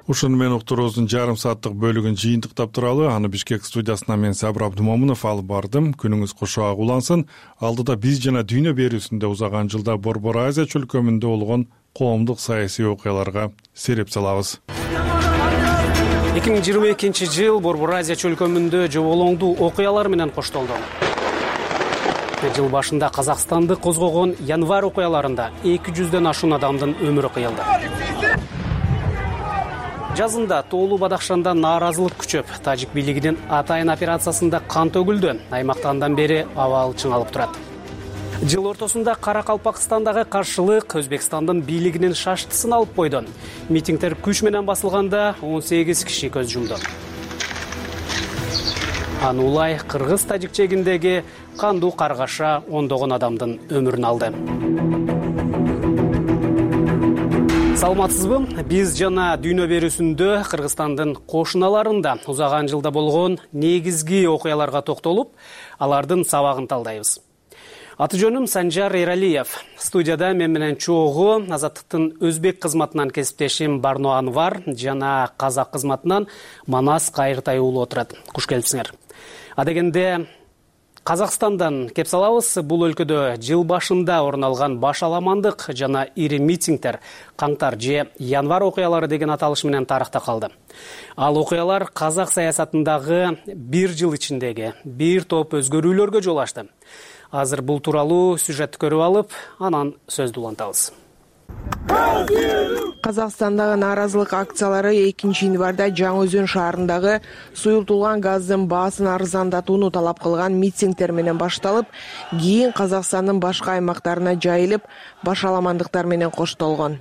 B: Ушуну менен уктуруубуздун жарым сааттык бөлүгүн жыйынтыктап туралы, аны Бишкек студиясынан мен Сабыр Абдумомунов алып бардым. Күнүңүз кошоак улансын. Алдыда биз жана дүйнө берүүсүндө узаган жылда Борбор Азия чөлкөмүндө болгон коомдук саясий окуяларга сереп салабыз.
I: 2022-жыл Борбор Азия чөлкөмүндө жоболоңдуу окуялар менен коштолду. Жыл башында Казакстанды козгогон январь окуяларында 200дөн ашуун адамдын өмүрү кыйылды. Жазында Тоолуу Бадахшанда нааразылык күчөп, тажик бийлигинин атайын операциясында кан төгүлдү. Аймакта андан бери абал чыңалып турат. Жыл ортосунда Каракалпакстандагы каршылык Өзбекстандын бийлигинин шаштысын алып койду. Митингдер күч менен басылганда 18 киши көз жумду. Аны улай Кыргыз-Тажик чегиндеги кандуу каргаша ондогон адамдын өмүрүн алды. Саламатсызбы? Биз жана дүйнө берүүсүндө Кыргызстандын кошуналарында узаган жылда болгон негизги окуяларга токтолуп, алардын сабагын талдайбыз. Аты жөнүм Санжар Эралиев. Студияда мен менен чогуу Азаттыктын өзбек кызматынан кесиптешим Барно Анвар жана казак кызматынан Манас Кайыртай уулу отурат. Куш келипсиңер. Адегенде Казакстандан кеп салабыз. Бул өлкөдө жыл башында орун алган баш аламандык жана ири митингдер каңтар же январь окуялары деген аталыш менен тарыхта калды. Ал окуялар казак саясатындагы бир жыл ичиндеги бир топ өзгөрүүлөргө жол ачты. Азыр бул тууралуу сюжетти көрүп алып, анан сөздү улантабыз.
J: Казакстандагы нааразылык акциялары 2-январда Жаңы Өзөн шаарындагы суюлтулган газдын баасын арзандатууну талап кылган митингдер менен башталып, кийин Казакстандын башка аймактарына жайылып, баш аламандыктар менен коштолгон.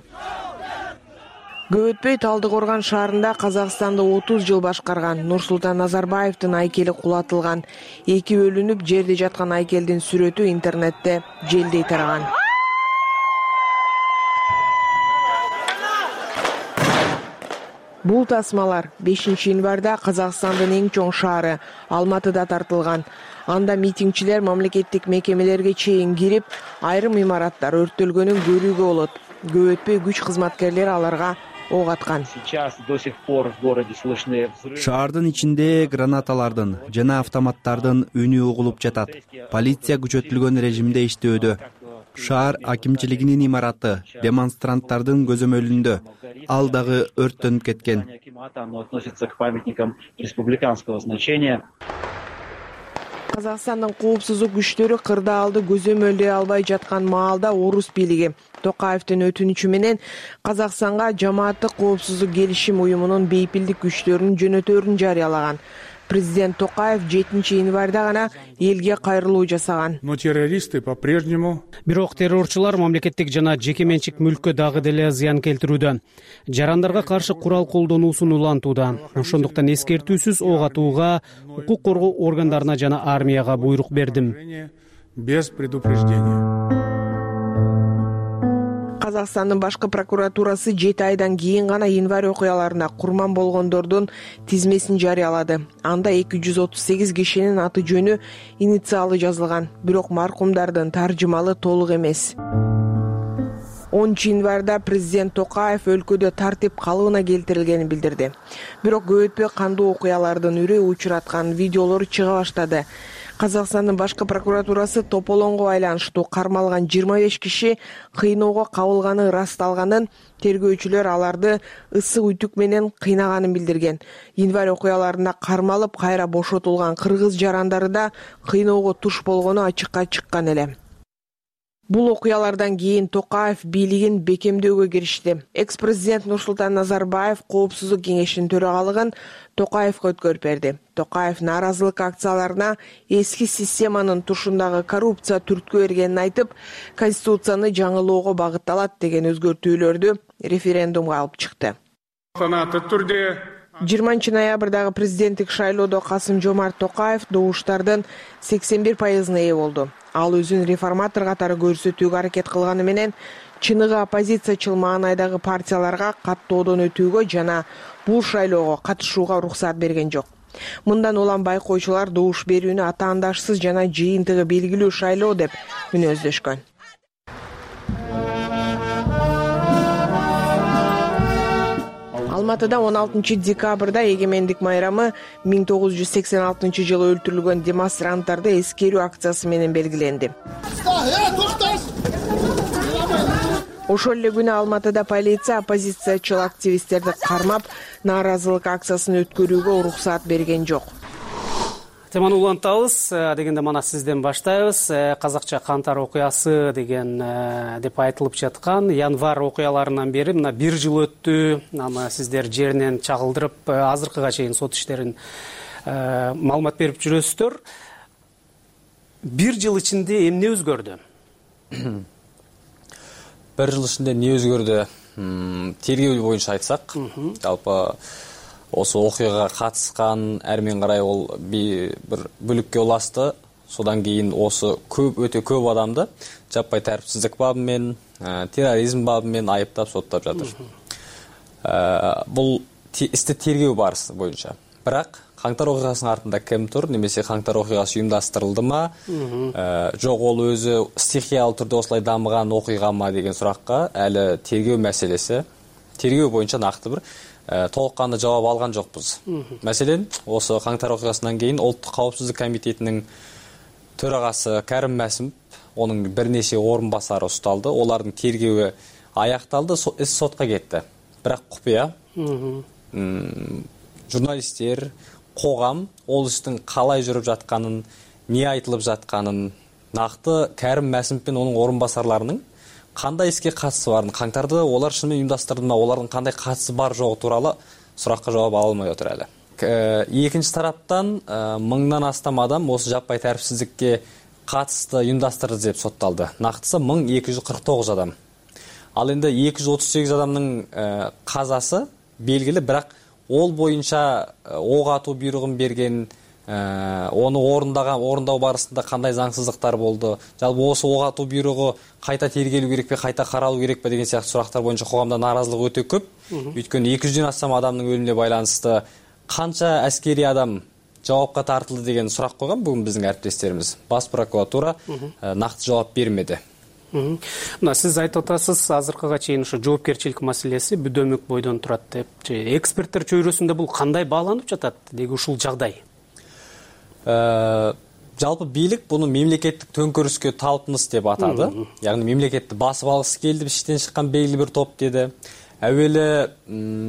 J: Көп өтпөй Талдыкорган шаарында Казакстанды 30 жыл башкарган Нурсултан Назарбаевдин айкели кулатылган. 2 бөлүнүп жерде жаткан айкелдин сүрөтү интернетте желдей тараган. Бул тасмалар 5-январда Казакстандын эң чоң шаары Алматыда тартылган. Анда митингчилер мамлекеттик мекемелерге чейин кирип, айрым имараттар өрттөлгөнүн көрүүгө болот. Көп өтпөй күч кызматкерлери аларга ок аткан.
K: Шаардын ичинде гранаталардын жана автоматтардын үнү угулуп жатат. Полиция күчөтүлгөн режимде иштөөдө. Шаар акимчилигинин имараты демонстранттардын көзөмөлүндө. Ал дагы өрттөнүп кеткен.
J: Казакстандын коопсуздук күчтөрү кырдаалды көзөмөлдөй албай жаткан маалда орус бийлиги Токаевдин өтүнүчү менен Казакстанга жамааттык коопсуздук келишим уюмунун бейпилдик күчтөрүн жөнөтөөрүн жарыялаган. Президент Токаев 7-январда гана элге кайрылуу жасаган.
I: Но террористы по-прежнему. Бирок террорчулар мамлекеттик жана жеке менчик мүлккө дагы деле зыян келтирүүдө. Жарандарга каршы курал колдонуусун улантууда. Ошондуктан эскертүүсүз ок атууга укук коргоо органдарына жана армияга буйрук бердим. Без предупреждения.
J: Казакстандын башкы прокуратурасы 7 айдан кийин гана январь окуяларына курман болгондордун тизмесин жарыялады. Анда 238 кишинин аты жөнү, инициалы жазылган, бирок маркумдардын таржымалы толук эмес. 10 январда президент Токаев өлкөдө тартип калыбына келтирилгенин билдирди. Бирок көп өтпөй кандуу окуялардын үрөй учураткан видеолор чыга баштады. Казакстандын башкы прокуратурасы тополоңго байланыштуу кармалган 25 киши кыйноого кабылганы ырасталганын, тергөөчүлөр аларды ысык үтүк менен кыйнаганын билдирген. Январь окуяларына кармалып кайра бошотулган кыргыз жарандары да кыйноого туш болгону ачыкка чыккан эле. Бул окуялардан кийин Токаев бийлигин бекемдөөгө киришти. Экс-президент Нурсултан Назарбаев Коопсуздук кеңешинин төрагалыгын Токаевга өткөрүп берди. Токаев нааразылык акцияларына эски системанын тушундагы коррупция түрткү бергенин айтып, конституцияны жаңылоого багытталат деген өзгөртүүлөрдү референдумга алып чыкты. 20 ноябрдагы президенттик шайлоодо Касым-Жомарт Токаев добуштардын 81%-ына ээ болду. Ал өзүн реформатор катары көрсөтүүгө аракет кылганы менен чыныгы оппозициячыл маанайдагы партияларга каттоодон өтүүгө жана бул шайлоого катышууга уруксат берген жок. Мындан улам байкоочулар добуш берүүнү атаандашсыз жана жыйынтыгы белгилүү шайлоо деп мүнөздөшкөн. Алматыда 16 декабрда эгемендик майрамы 1986 жылы өлтүрүлгөн демонстранттарды эскерүү акциясы менен белгиленди. Ошол эле күнү Алматыда полиция оппозициячыл активисттерди кармап, нааразылык акциясын өткөрүүгө уруксат берген жок.
I: Теманы улантабыз, дегенде мана сизден баштайбыз. Казакча кантар окуясы деген деп айтылып жаткан январь окуяларынан бери мына 1 жыл өттү. Аны сиздер жеринен чагылдырып, азыркыга чейин сот иштерин маалымат берип жүрөсүздөр. 1 жыл ичинде эмне өзгөрдү?
L: 1 жыл ичинде эмне өзгөрдү? Тергөө боюнча айтсак, жалпы осы окуяга катышкан әрмен карай ол бир бүлүккө улашты. Содан кийин осы өтө көп адамды жаппай тартипсиздик бабымен, терроризм бабымен айыптап соттап жатыр. Бул исти тергөө барысы боюнча. Бирок каңтар окуясынын артында ким тур, немесе каңтар окуясы уюмдаштырылдымы, жок ол өзү стихиялуу түрдө осулай дамыган окуягамы деген суракка әлі тергөө маселеси. Тергөө боюнча накты бир толук кандуу жооп алган жокпуз. Маселен, осы каңтар окуясынан кийин Улуттук каопсуздук комитетинин төрагасы Карим Масимов, онун бир нече орун басары усталды. Олардын тергөө аякталды, иш сотко кетти. Бирок купуя журналисттер, когам ол иштин калай жүрүп жатканын, эмне айтылып жатканын, накты Карим Масимов менен онун орун басарларынын кандай иске катысы барын, каңтарды олар шынымен уюмдаштырдымы, олардын кандай катысы бар жогу тууралуу суракка жооп ала алмай отур эле. Экинчи тараптан 1000 астам адам осы жаппай тартипсиздикке катысты уюмдаштырды деп сотталды. Нактысы 1249 адам. Ал энди 238 адамдын казасы белгили, бирок ол боюнча ок атуу буйругун берген, onu орундоо барысында кандай заңсыздыктар болду, жалпы осы ок атуу буйругу кайта тергелүү керекпи, кайта каралуу керекпи деген сыяктуу сурактар боюнча коомдо нааразылык өтө көп. Өйткөнү 200дөн астам адамдын өлүмүнө байланышты канча аскери адам жоопко тартылды деген сурак койгон бүгүн биздин әріптестерimiz. Бас прокуратура накты жооп бермеди.
I: Мына сиз айтып атасыз, азыркыга чейин ушу жоопкерчилик маселеси бүдөмөк бойдон турат деп. Эксперттер чөйрөсүндө бул кандай бааланып жатат деги ушул жагдай?
L: Жалпы бийлик буну мемлекеттик төңкөрүскө талпыныс деп атады. Яғни мемлекетти басып алгысы келди, иштен чыккан белгилүү бир топ деди. Әуелі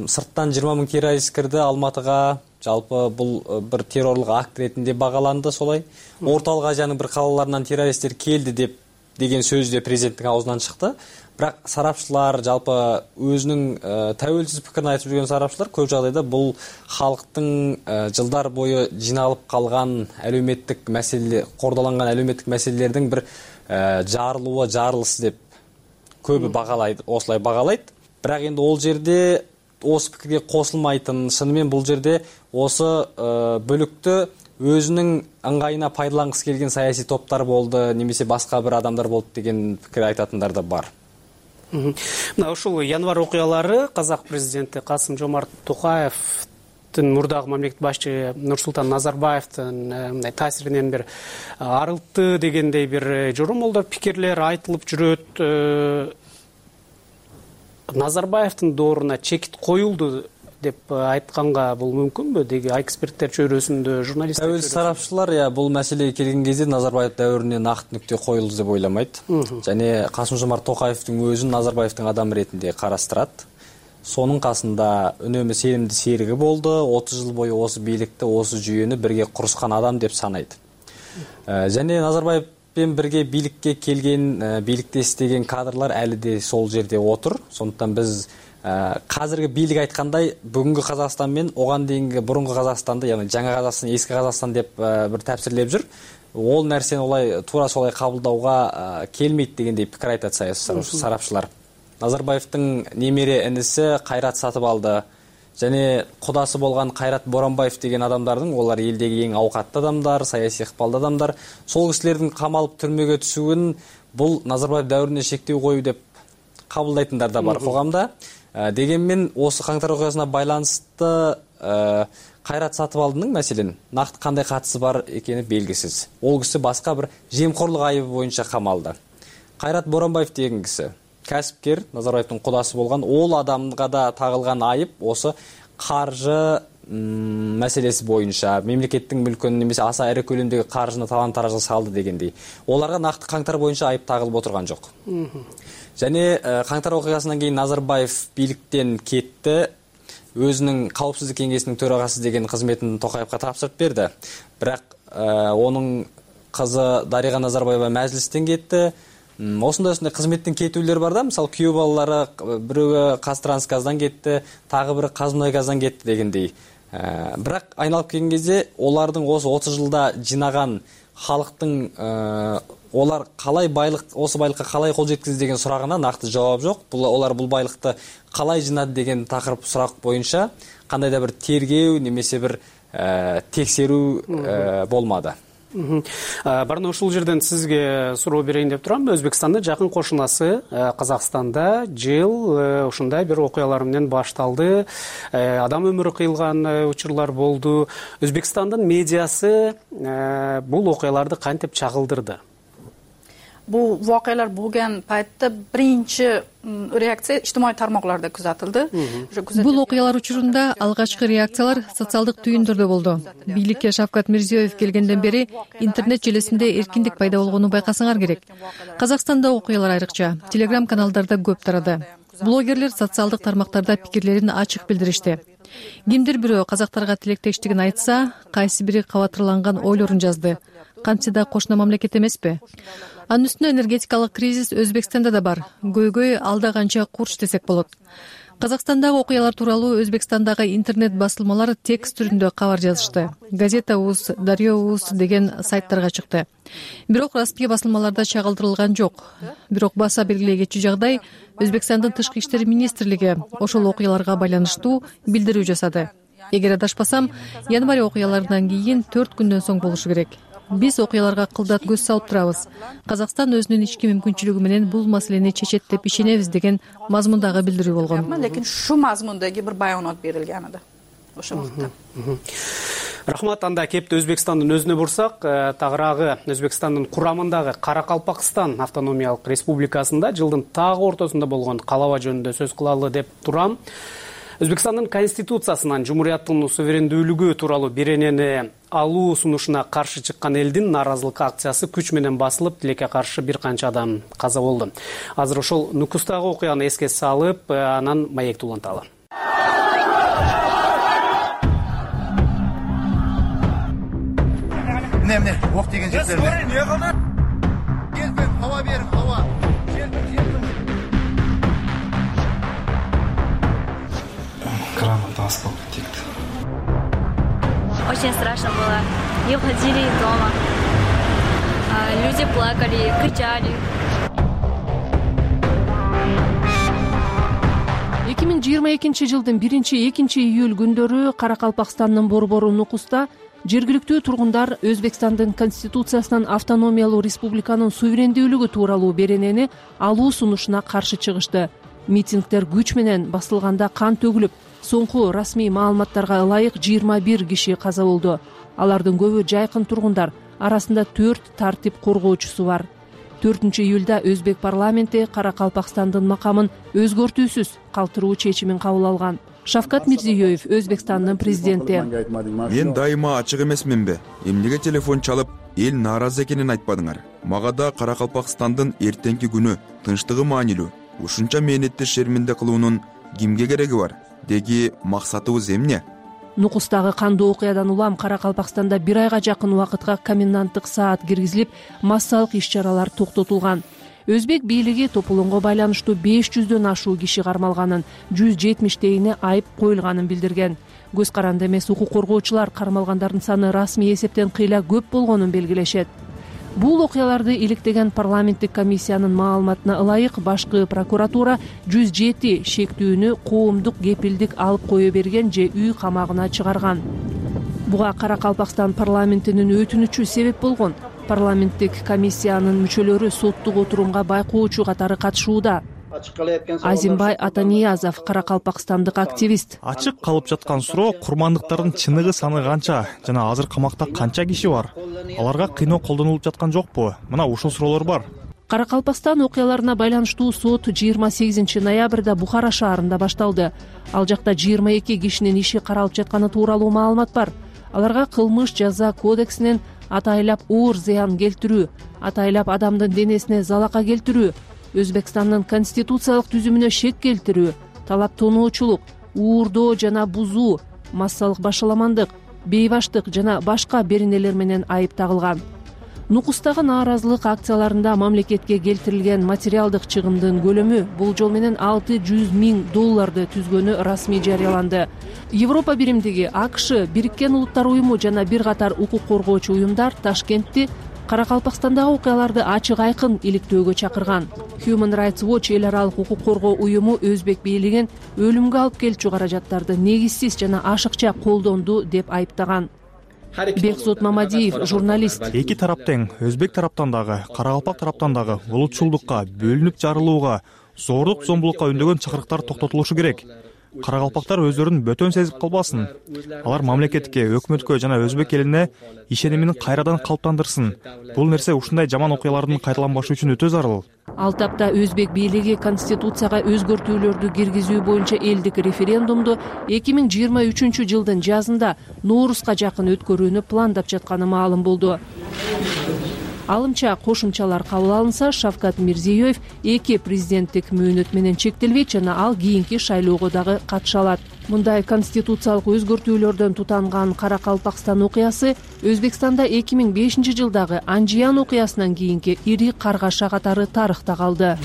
L: сырттан 20 000 террорист кирди Алматыга. Жалпы бул бир террорлук акт ретинде багаланды солай. Орталык Азиянын бир калаларынан террористтер келди деп деген сөз де президенттин аузунан чыкты. Бирок сарапчылар, жалпы өзүнүн тәуелсиз пикирин айтып жүргөн сарапчылар көп жагдайда бул халктын жылдар бою жиналып калган әлеуметтик маселе, кордолонгон әлеуметтик маселелердин бир жарылысы деп көбү багалайт, осулай багалайт. Бирок энди ол жерде осы пикирге косулмайтын, шынымен бул жерде осы бөлүктө өзүнүн ыңгайына пайдалангысы келген саясий топтар болду, немесе башка бир адамдар болду деген пикир айтатындар да бар.
I: Мына ушул январь окуялары казак президенти Касым-Жомарт Токаевдин мурдагы мамлекет башчы Нурсултан Назарбаевдин мындай таасиринен бир арылтты дегендей бир жоромолдор, пикирлер айтылып жүрөт. Назарбаевдин дооруна чекит коюлду деп айтканга бул мүмкүнбү? Деги эксперттер чөйрөсүндө, журналисттер чөйрөсүндө
L: сарапчылар бул маселеге келген кезде Назарбаев дәүрүнө накты нүкте коюлду деп ойламайт. Және Касым-Жомарт Токаевдин өзүн Назарбаевдин адамы ретинде карастырат. Сонун касында үнөмө сенимдүү сериги болду. 30 жыл бою осы бийликти, осы жүйөнү бирге курушкан адам деп санайт. Және Назарбаевпен бирге бийликке келген, бийликте иштеген кадрлар әлі де сол жерде отур. Сондықтан біз қазіргі бийлик айткандай бүгүнкү Казакстан мен оған дейинки бурунку Казакстанды, яғни жаңа Казакстан, эски Казакстан деп бир тапсирлеп жүр. Ол нерсени олай туура солай кабылдауга келмейт дегендей пикир айтат сарапчылар. Назарбаевдин немере иниси Кайрат Сатыбалды және кудасы болгон Кайрат Боронбаев деген адамдардын, олар элдеги эң аукаттуу адамдар, саясий ыкпалдуу адамдар. Сол кишилердин камалып түрмөгө түшүүн бул Назарбаев дәүрүнө шектөө коюу деп кабылдайтындар да бар когамда. Дегенмен осы каңтар окуясына байланысты Кайрат Сатыбалдынын маселен накты кандай катысы бар экени белгисиз. Ол киши башка бир жемкорлук айыбы боюнча камалды. Кайрат Боронбаев деген киши кәсіпкер, Назарбаевдың кудасы болгон, ол адамга да тагылган айып осы каржы мәселеси боюнча, мемлекеттин мүлкүн немесе аса ири көлөмдөгү каржыны талан-таражга салды дегендей. Оларга накты каңтар боюнча айып тагылып отурган жок. Және каңтар окуясынан кийин Назарбаев бийликтен кетти, өзүнүн каупсуздук кеңесинин төрагасы деген кызметін Токаевга тапшырып берди. Бирок онун кызы Дарига Назарбаева мәжлистен кетти. Осындай кызметтен кетүүлөр бар да, мисалы күйөө балалары бирөө Казтрансгаздан кетти, тагы бири Казмунайгаздан кетти дегендей. Бирок айналып келген кезде олардын осы 30 жылда жинаган халыктын олар қалай осы байлыққа қалай қол жеткізді деген сұрағына нақты жауап жоқ. Олар бұл байлықты қалай жинады деген тақырып сұрақ бойынша қандай да бір тергеу немесе бір тексеру болмады.
I: Барына ушул жерден сизге суроо берейин деп турам. Өзбекстандын жакын кошунасы Казакстанда жыл ушундай бир окуялар менен башталды. Адам өмүрү кыйылган учурлар болду. Өзбекстандын медиасы бул окуяларды кантип чагылдырды?
M: Бул вакыялар болгон пайтта биринчи реакция ижтимаий тармактарда күзөтүлдү.
E: Бул окуялар учурунда алгачкы реакциялар социалдык түйүндөрдө болду. Бийликке Шавкат Мирзиёев келгенден бери интернет желесинде эркиндик пайда болгону байкасаңар керек. Казакстанда окуялар айрыкча телеграм каналдарда көп тарады. Блогерлер социалдык тармактарда пикирлерин ачык билдиришти. Кимдир бирөө казактарга тилектештигин айтса, кайсы бири кабатырланган ойлорун жазды. Кантсе да кошуна мамлекет эмеспи? Анын үстүнө энергетикалык кризис Өзбекстанда да бар. Көйгөй алда канча курч десек болот. Казакстандагы окуялар тууралуу Өзбекстандагы интернет басылмалар текст түрүндө кабар жазышты. Газета.uz, Дарьё.uz деген сайттарга чыкты. Бирок расмий басылмаларда чагылдырылган жок. Бирок баса белгилей кетчү жагдай Өзбекстандын тышкы иштер министрлиги ошол окуяларга байланыштуу билдирүү жасады. Эгер адашпасам, январь окуяларынан кийин 4 күндөн соң болушу керек. Биз окуяларга кылдат көз салып турабыз. Казакстан өзүнүн ички мүмкүнчүлүгү менен бул маселени чечет деп ишенебиз деген мазмундагы билдирүү болгон.
M: Лекин шу мазмундагы бир баянат берилген эди ошол вакытта.
I: Рахмат, анда кепти Өзбекстандын өзүнө бурсак, тагыраагы Өзбекстандын курамындагы Каракалпакстан автономиялык республикасында жылдын тагы ортосунда болгон калаба жөнүндө сөз кылалы деп турам. Өзбекстандын конституциясынан жумурияттын суверендүүлүгү тууралуу беренени алуу сунушуна каршы чыккан элдин нааразылык акциясы күч менен басылып, тилекке каршы бир канча адам каза болду. Азыр ошол Нукустагы окуяны эске салып, анан маекти уланталы.
N: Эмне ок деген жердерде. Келбеп, хава берип, хава.
O: Граната асфальт текти.
P: Очень страшно было. Не уходили из дома. Люди плакали, кричали.
Q: 2022 жылдын 1-2 июль күндөрү Каракалпакстандын борбору Нукуста
E: жергиликтүү тургундар Өзбекстандын конституциясынан автономиялуу республиканын суверендүүлүгү тууралуу беренени алуу сунушуна каршы чыгышты. Митингдер күч менен басылганда кан төгүлүп, соңку расмий маалыматтарга ылайык 21 киши каза болду. Алардын көбү жайкын тургундар, арасында 4 тартип коргоочусу бар. 4-июлда Өзбек парламенти Каракалпакстандын макамын өзгөртүүсүз калтыруу чечимин кабыл алган. Шавкат Мирзиёев, Өзбекстандын президенти:
Q: Мен дайыма ачык эмесминби? Эмнеге телефон чалып, эл нааразы экенин айтпадыңар? Мага да Каракалпакстандын эртеңки күнү тынчтыгы маанилүү. Ушунча мээнетти шерминде кылуунун кимге кереги бар? Деги максатыбыз эмне?
E: Нукустагы кандуу окуядан улам Каракалпакстанда 1 айга жакын убакытка коменданттык саат киргизилип, массалык иш-чаралар токтотулган. Өзбек бийлиги тополоңго байланыштуу 500дөн ашуу киши кармалганын, 170-дейине айып коюлганын билдирген. Көз каранды эмес укук коргоочулар кармалгандардын саны расмий эсептен кыйла көп болгонун белгилешет. Бул окуяларды иликтеген парламенттик комиссиянын маалыматына ылайык башкы прокуратура 107 шектүүнү коомдук кепилдик алып кое берген же үй камагына чыгарган. Буга Каракалпакстан парламентинин өтүнүчү себеп болгон. Парламенттик комиссиянын мүчөлөрү соттук отурумга байкоочу катары катышууда. Азимбай Атаниязов, каракалпакстандык активист:
R: Ачык калып жаткан суроо курмандыктардын чыныгы саны канча жана азыр камакта канча киши бар? Аларга кыйноо колдонулуп жаткан жокпу? Мына ушул суроолор бар.
E: Каракалпакстан окуяларына байланыштуу сот 28 ноябрда Бухара шаарында башталды. Ал жакта 22 кишинин иши каралып жатканы тууралуу маалымат бар. Аларга кылмыш жаза кодексинен атайлап оор зыян келтирүү, атайлап адамдын денесине залака келтирүү, Өзбекстандын конституциялык түзүмүнө шек келтирүү, талап тоноочулук, уурдоо жана бузуу, массалык башаламандык, бейбаштык жана башка беренелер менен айып тагылган. Нукустагы нааразылык акцияларында мамлекетке келтирилген материалдык чыгымдын көлөмү болжол менен $600,000 түзгөнү расмий жарыяланды. Европа биримдиги, АКШ, Бириккен Улуттар уюму жана бир катар укук коргоочу уюмдар Ташкентти Каракалпакстандагы окуяларды ачык айкын иликтөөгө чакырган. Human Rights Watch эл аралык укук коргоо уюму Өзбек бийлигин өлүмгө алып келчү каражаттарды негизсиз жана ашыкча колдонду деп айыптаган. Бекзод Мамадиев, журналист:
R: Эки тарап тең, Өзбек тараптан дагы, Каракалпак тараптан дагы улутчулдукка, бөлүнүп жарылууга, зордук зомбулукка үндөгөн чакырыктар токтотулушу керек. Каракалпактар өздөрүн бөтөн сезип калбасын. Алар мамлекетке, өкмөткө жана өзбек элине ишенимин кайрадан калыптандырсын. Бул нерсе ушундай жаман окуялардын кайталанбашы үчүн өтө зарыл.
E: Ал тапта Өзбек бийлиги конституцияга өзгөртүүлөрдү киргизүү боюнча элдик референдумду 2023 жылдын жазында Ноорузга жакын өткөрүүнү пландап жатканы маалым болду. Алымча кошумчалар кабыл алынса, Шавкат Мирзиёев 2 президенттик мөөнөт менен чектелбейт жана ал кийинки шайлоого дагы катыша алат. Мындай конституциялык өзгөртүүлөрдөн тутанган Каракалпакстан окуясы Өзбекстанда 2005 жылдагы Анжиян окуясынан кийинки ири каргаша катары тарыхта калды.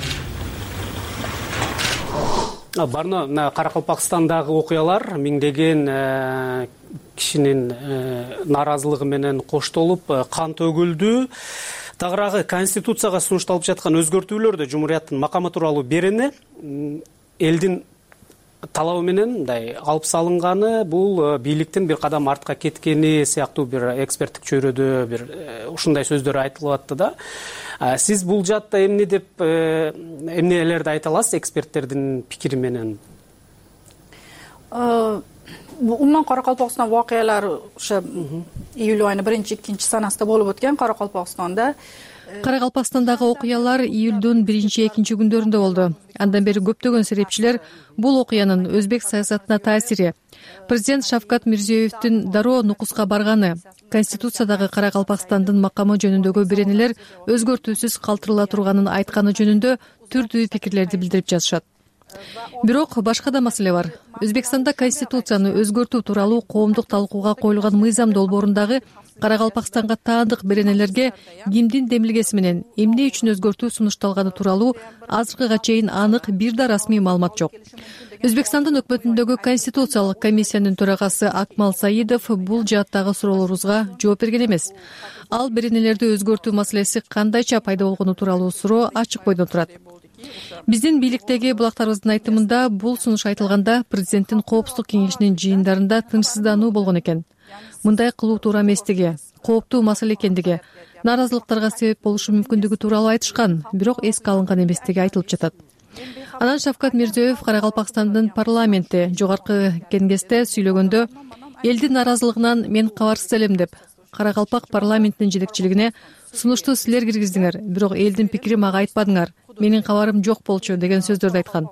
I: Барно Каракалпакстандагы окуялар миңдеген кишинин нааразылыгы менен коштолуп кан төгүлдү. Тагыраагы конституцияга сунушталып жаткан өзгөртүүлөрдө Жумурияттын макамы тууралуу берени элдин талабы менен мындай алып салынганы, бул бийликтин бир кадам артка кеткени сыяктуу бир эксперттик чөйрөдө бир ушундай сөздөр айтылып атты да. Сиз бул жаатта эмнелерди айта аласыз эксперттердин пикири менен?
M: Умуман Каракалпакстан вакыялары ошо июль айынын 1-2 санасында болуп өткөн Каракалпакстанда.
E: Каракалпакстандагы окуялар июлдун 1-2 күндөрүндө болду. Андан бери көптөгөн серепчилер бул окуянын өзбек саясатына таасири, президент Шавкат Мирзиёевдин дароо Нукуска барганы, конституциядагы Каракалпакстандын макамы жөнүндөгү беренелер өзгөртүүсүз калтырыла турганын айтканы жөнүндө түрдүү пикирлерди билдирип жатышат. Бирок башка да маселе бар. Өзбекстанда конституцияны өзгөртүү тууралуу коомдук талкууга коюлган мыйзам долбоорундагы Каракалпакстанга таандык беренелерге кимдин демилгеси менен эмне үчүн өзгөртүү сунушталганы тууралуу азыркыга чейин анык бир да расмий маалымат жок. Өзбекстандын өкмөтүндөгү конституциялык комиссиянын төрагасы Акмал Саидов бул жааттагы суроолорубузга жооп берген эмес. Ал беренелерди өзгөртүү маселеси кандайча пайда болгону тууралуу суроо ачык бойдон турат. Биздин бийликтеги булактарыбыздын айтымында бул сунуш айтылганда президенттин коопсуздук кеңешинин жыйындарында тынчсыздануу болгон экен. мындай кылуу туура эместиги, кооптуу маселе экендиги, нааразылыктарга себеп болушу мүмкүндүгү тууралуу айтышкан, бирок эске алынган эместиги айтылып жатат. Анан Шавкат Мирзиёев Каракалпакстандын парламенти жогорку кеңесте сүйлөгөндө элдин нааразылыгынан мен кабарсыз элем деп, Каракалпак парламентинин жетекчилигине сунушту силер киргиздиңер, бирок элдин пикири мага айтпадыңар, менин кабарым жок болчу деген сөздөрдү айткан.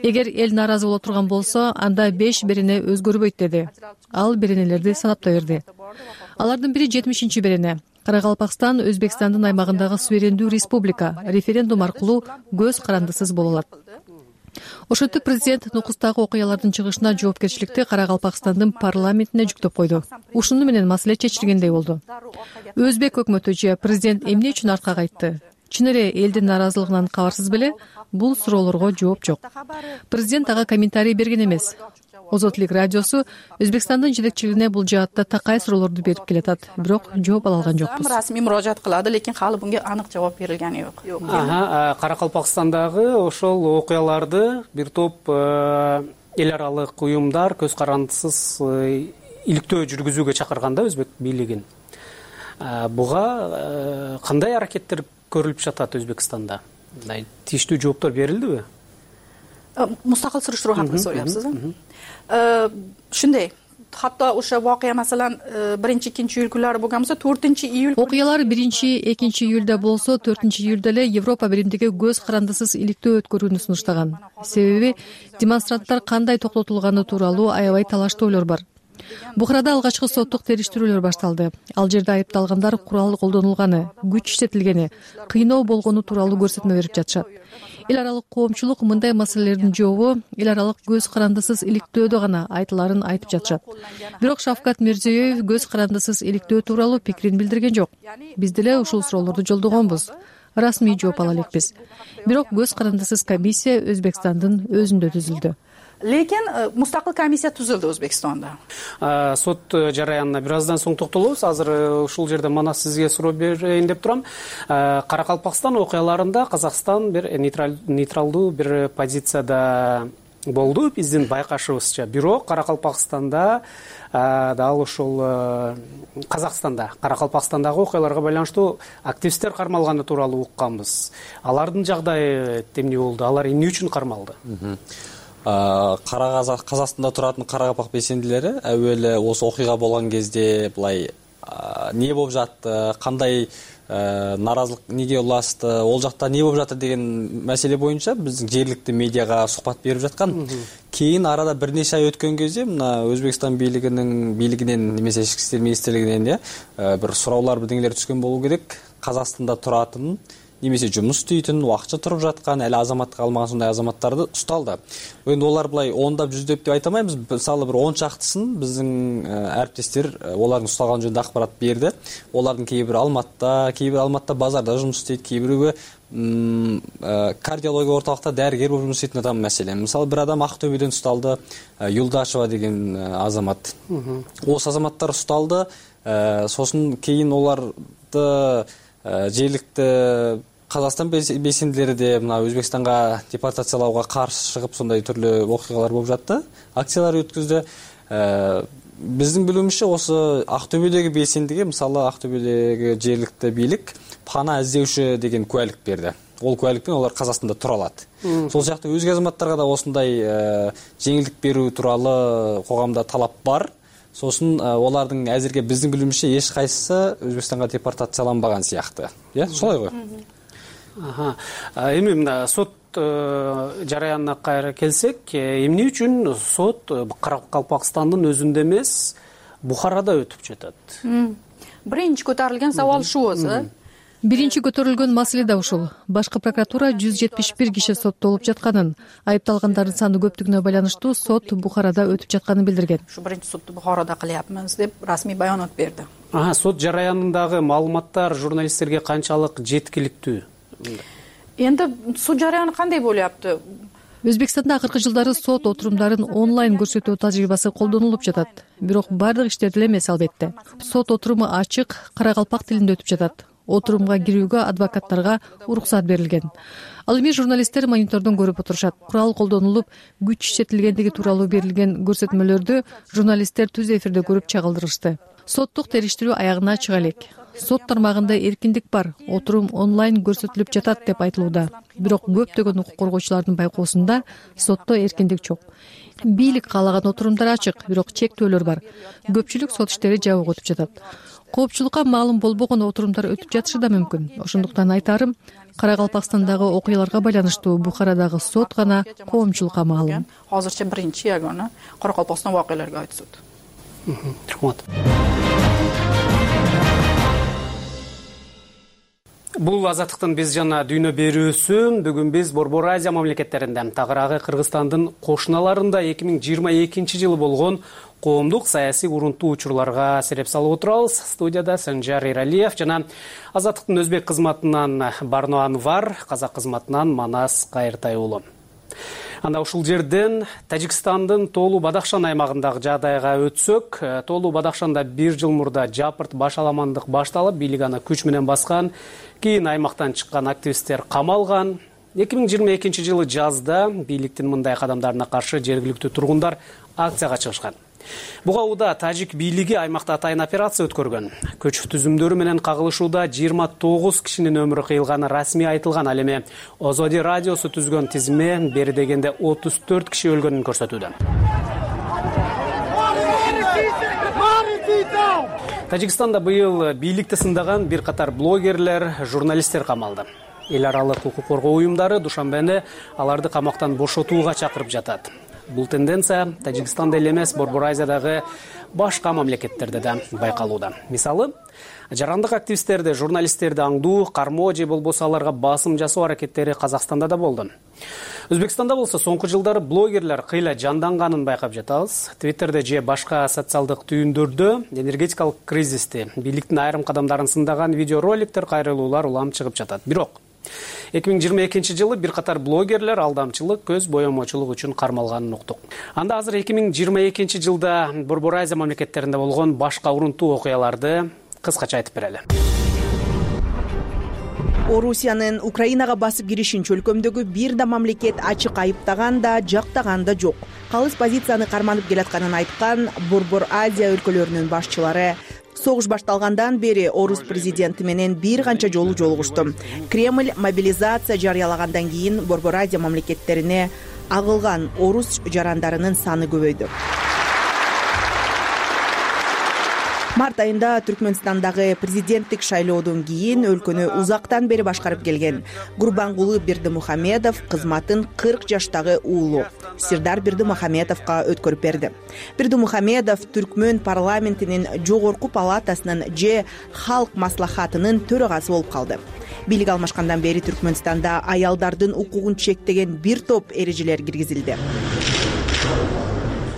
E: Эгер эл нааразы боло турган болсо, анда 5 берене өзгөрбөйт деди. Ал беренелерди санаптай берди. Алардын бири 70 берене. Каракалпакстан Өзбекстандын аймагындагы суверендүү республика, референдум аркылуу көз карандысыз боло алат. Ошентип президент Нукустагы окуялардын чыгышына жоопкерчиликти Каракалпакстандын парламентине жүктөп койду. Ушуну менен маселе чечилгендей болду. Өзбек өкмөтү же президент эмне үчүн аркага айтты? Чын эле элдин нааразылыгынан кабарсыз беле? Бул суроолорго жооп жок. Президент ага комментарий берген эмес. Озотлук радиосу Өзбекстандын жетекчилигине бул жаатта такай суроолорду берип келатат, бирок жооп ала алган жокпуз.
M: Расмий мурожаат кылады, лекин хали bunga анык жооп берилгени жок.
I: Каракалпакстандагы ошол окуяларды бир топ эл аралык уюмдар көз карандысыз иликтөө жүргүзүүгө чакырганда өзбек бийлигин. Буга кандай аракеттер көрүлүп жатат Өзбекстанда? Тийиштүү жооптор берилдиби?
M: Мустакыл суруштуруу хакында сурайсыз. Ушундай, hatto o'sha voqea masalan 1-2 iyul kunlari bo'lgan bo'lsa 4-iyul
E: окуялар 1-2 июльда болсо 4-июльда эле Европа биримдиги көз карандысыз иликтөө өткөрүүнү сунуштаган. Себеби демонстранттар кандай токтотулганы тууралуу аябай талаштоолор бар. Бухарада алгачкы соттук териштирүүлөр башталды. Ал жерде айыпталгандар курал колдонулганы, күч иштетилгени, кыйноо болгону тууралуу көрсөтмө берип жатышат. Эл аралык коомчулук мындай маселелердин жообу эл аралык көз карандысыз иликтөөдө гана айтыларын айтып жатышат. Бирок Шавкат Мирзиёев көз карандысыз иликтөө тууралуу пикирин билдирген жок. Биз деле ушул суроолорду жолдогонбуз. Расмий жооп ала элекпиз. Бирок көз карандысыз комиссия Өзбекстандын өзүндө түзүлдү.
M: Lekin mustaqil komissiya tuzildi O'zbekistonda.
I: Sud jarayonuna bir azdan so'ng to'xtalamiz. Hozir ушул жерде mana sizga суроо берейин деп турам. Каракалпакстан окуяларында Казакстан бир нейтралдуу бир позицияда болду, биздин байкашыбызча. Бирок Каракалпакстанда дал ушул Казакстанда, Каракалпакстандагы окуяларга байланыштуу активисттер кармалганы тууралуу укканбыз. Алардын жагдайы эмне болду? Алар эмне үчүн кармалды?
L: Казакстанда туратын Каракалпак белсендилери әуелі осы окуйга болгон кезде былай не болуп жатты, кандай наразылык неге улашты, ол жакта не болуп жатыр деген маселе боюнча биздин жергиликтүү медиага сухбат берип жаткан. Кийин арада бир нече ай өткөн кезде мына Өзбекстан бийлигинен немесе ички иштер министрлигинен бир суроолор бирдеңелер түшкөн болуу керек. Казакстанда туратын немесе жумуш істейтін, уақытша тұрып жатқан, әлі азаматтық алмаған сондай азаматтарды ұсталды. Енді олар былай ондап жүздеп деп айтамаймыз. Мысалы бір 10 шақтысын біздің әріптестер олардың ұсталған жөнінде ақпарат берді. Олардың кейбір Алматыда базарда жұмыс істейді, кейбіреуі кардиология орталықта дәрігер болып жұмыс істейтін адам мәселе. Мысалы бір адам Ақтөбеден ұсталды, Юлдашева деген азамат. Осы азаматтар ұсталды. Сосын кейін оларды жергиликтүү Казакстан белсендилери де мына Өзбекстанга депортациялауга каршы чыгып сондай түрлүү окуялар болуп жатты. Акциялар өткөздү. Биздин билүүбүзчө осы Актөбөдөгү белсендиге, мисалы Актөбөдөгү жергиликтүү бийлик пана издөөчү деген куәлик берди. Ол куәликпен олар Казакстанда тура алат. Сол жакта өзге азаматтарга да осындай жеңилдик берүү тууралуу когамда талап бар. Сосын олардың әзірге біздің білімізше еш қайсысы Өзбекстанға депортацияланбаған сияқты. Солай ғой?
I: Эми мына сот жараянына кайра келсек, эмне үчүн сот Каракалпакстандын өзүндө эмес, Бухарада өтүп жатат?
M: Биринчи көтөрүлгөн сабал ушул өзү.
E: Биринчи көтөрүлгөн маселе да ушул. Башкы прокуратура 171 киши соттолуп жатканын, айыпталгандардын саны көптүгүнө байланыштуу сот Бухарада өтүп жатканын билдирген.
M: Ушу биринчи сотту Бухарада кылябыз деп расмий баянат берди.
I: Сот жараянындагы маалыматтар журналисттерге канчалык жеткиликтүү?
M: Эndi суд жараяны кандай болупту?
E: Өзбекстанда акыркы жылдары сот отурумдарын онлайн көрсөтүү тажрыйбасы колдонулуп жатат. Бирок бардык иштерде эмес албетте. Сот отуруму ачык, Каракалпак тилинде өтүп жатат. отурумга кирүүгө адвокаттарга уруксат берилген. Ал эми журналисттер монитордон көрүп отурушат. Курал колдонулуп, күч иштетилгендиги тууралуу берилген көрсөтмөлөрдү журналисттер түз эфирде көрүп чагылдырышты. Соттук териштирүү аягына чыга элек. Сот тармагында эркиндик бар, отурум онлайн көрсөтүлүп жатат деп айтылууда. Бирок көптөгөн укук коргоочулардын байкоосунда сотто эркиндик жок. Бийлик каалаган отурумдар ачык, бирок чектөөлөр бар. Көпчүлүк сот иштери жабык өтүп жатат. Коопчулукка маалым болбогон отурумдар өтүп жатышы да мүмкүн. Ошондуктан айтарым, Карагалпакстандагы окуяларга байланыштуу Бухарадагы сот гана коомчулукка маалым.
M: Азырча биринчи ягона Каракалпакстан окуяларга айт сот.
I: Рахмат. Бул азаттыктын биз жана дүйнө берүүсү. Бүгүн биз Борбор Азия мамлекеттеринде, тагыраагы Кыргызстандын кошуналарында 2022 жылы болгон коомдук саясий урунтуу учурларга сереп салып отурабыз. Студияда Санжар Эралиев жана азаттыктын өзбек кызматынан Барно Анвар, казак кызматынан Манас Кайыртай уулу. Анда ушул жерден Тажикстандын Тоолу Бадахшан аймагындагы жагдайга өтсөк, Тоолу Бадахшанда 1 жыл мурда жапырт башаламандык башталып, бийлик аны күч менен баскан. Кийин аймактан чыккан активисттер камалган. 2022 жылы жазда бийликтин мындай кадамдарына каршы жергиликтүү тургундар акцияга чыгышкан. Буга уда тажик бийлиги аймакта атайын операция өткөргөн. Көч түзүмдөрү менен кагылышууда 29 кишинин өмүрү кыйылганы расмий айтылган. Ал эми Озоди радиосу түзгөн тизме бери дегенде 34 киши өлгөнүн көрсөтүүдө. Тажикстанда быйыл бийликти сындаган бир катар блогерлер, журналисттер камалды. Эл аралык укук коргоо уюмдары душанбеде аларды камактан бошотууга чакырып жатат. Бул тенденция Тажикстанда эле эмес, Борбор Азиядагы башка мамлекеттерде да байкалууда. Мисалы, жарандык активисттерди, журналисттерди аңдуу, кармоо же болбосо аларга басым жасоо аракеттери Казакстанда да болду. Өзбекстанда болсо соңку жылдары блогерлер кыйла жанданганын байкап жатабыз. Твиттерде же башка социалдык түйүндөрдө энергетикалык кризисти, бийликтин айрым кадамдарын сындаган видеороликтер, кайрылуулар улам чыгып жатат. Бирок 2022 жылы бир катар блогерлер алдамчылык, көз боемочулук үчүн кармалганын уктук. Анда азыр 2022 жылда Борбор Азия мамлекеттеринде болгон башка урунтуу окуяларды кыскача айтып берели.
S: Орусиянын Украинага басып киришин чөлкөмдөгү бир да мамлекет ачык айыптаган да, жактаган да жок. Калыс позицияны карманып келатканын айткан Борбор Азия өлкөлөрүнүн башчылары согуш башталгандан бери орус президенти менен бир канча жолу жолугушту. Кремль мобилизация жарыялагандан кийин Борбор Азия мамлекеттерине агылган орус жарандарынын саны көбөйдү. Март айында Түркмөнстандагы президенттик шайлоодон кийин өлкөнү узактан бери башкарып келген Гурбангулы Бердимухамедов кызматын 40 жаштагы уулу Сирдар Бердимухамедовго өткөрүп берди. Бердимухамедов Түркмөн парламентинин жогорку палатасынын же Халк маслахатынын төрагасы болуп калды. Бийлик алмашкандан бери Түркмөнстанда аялдардын укугун чектеген бир топ эрежелер киргизилди.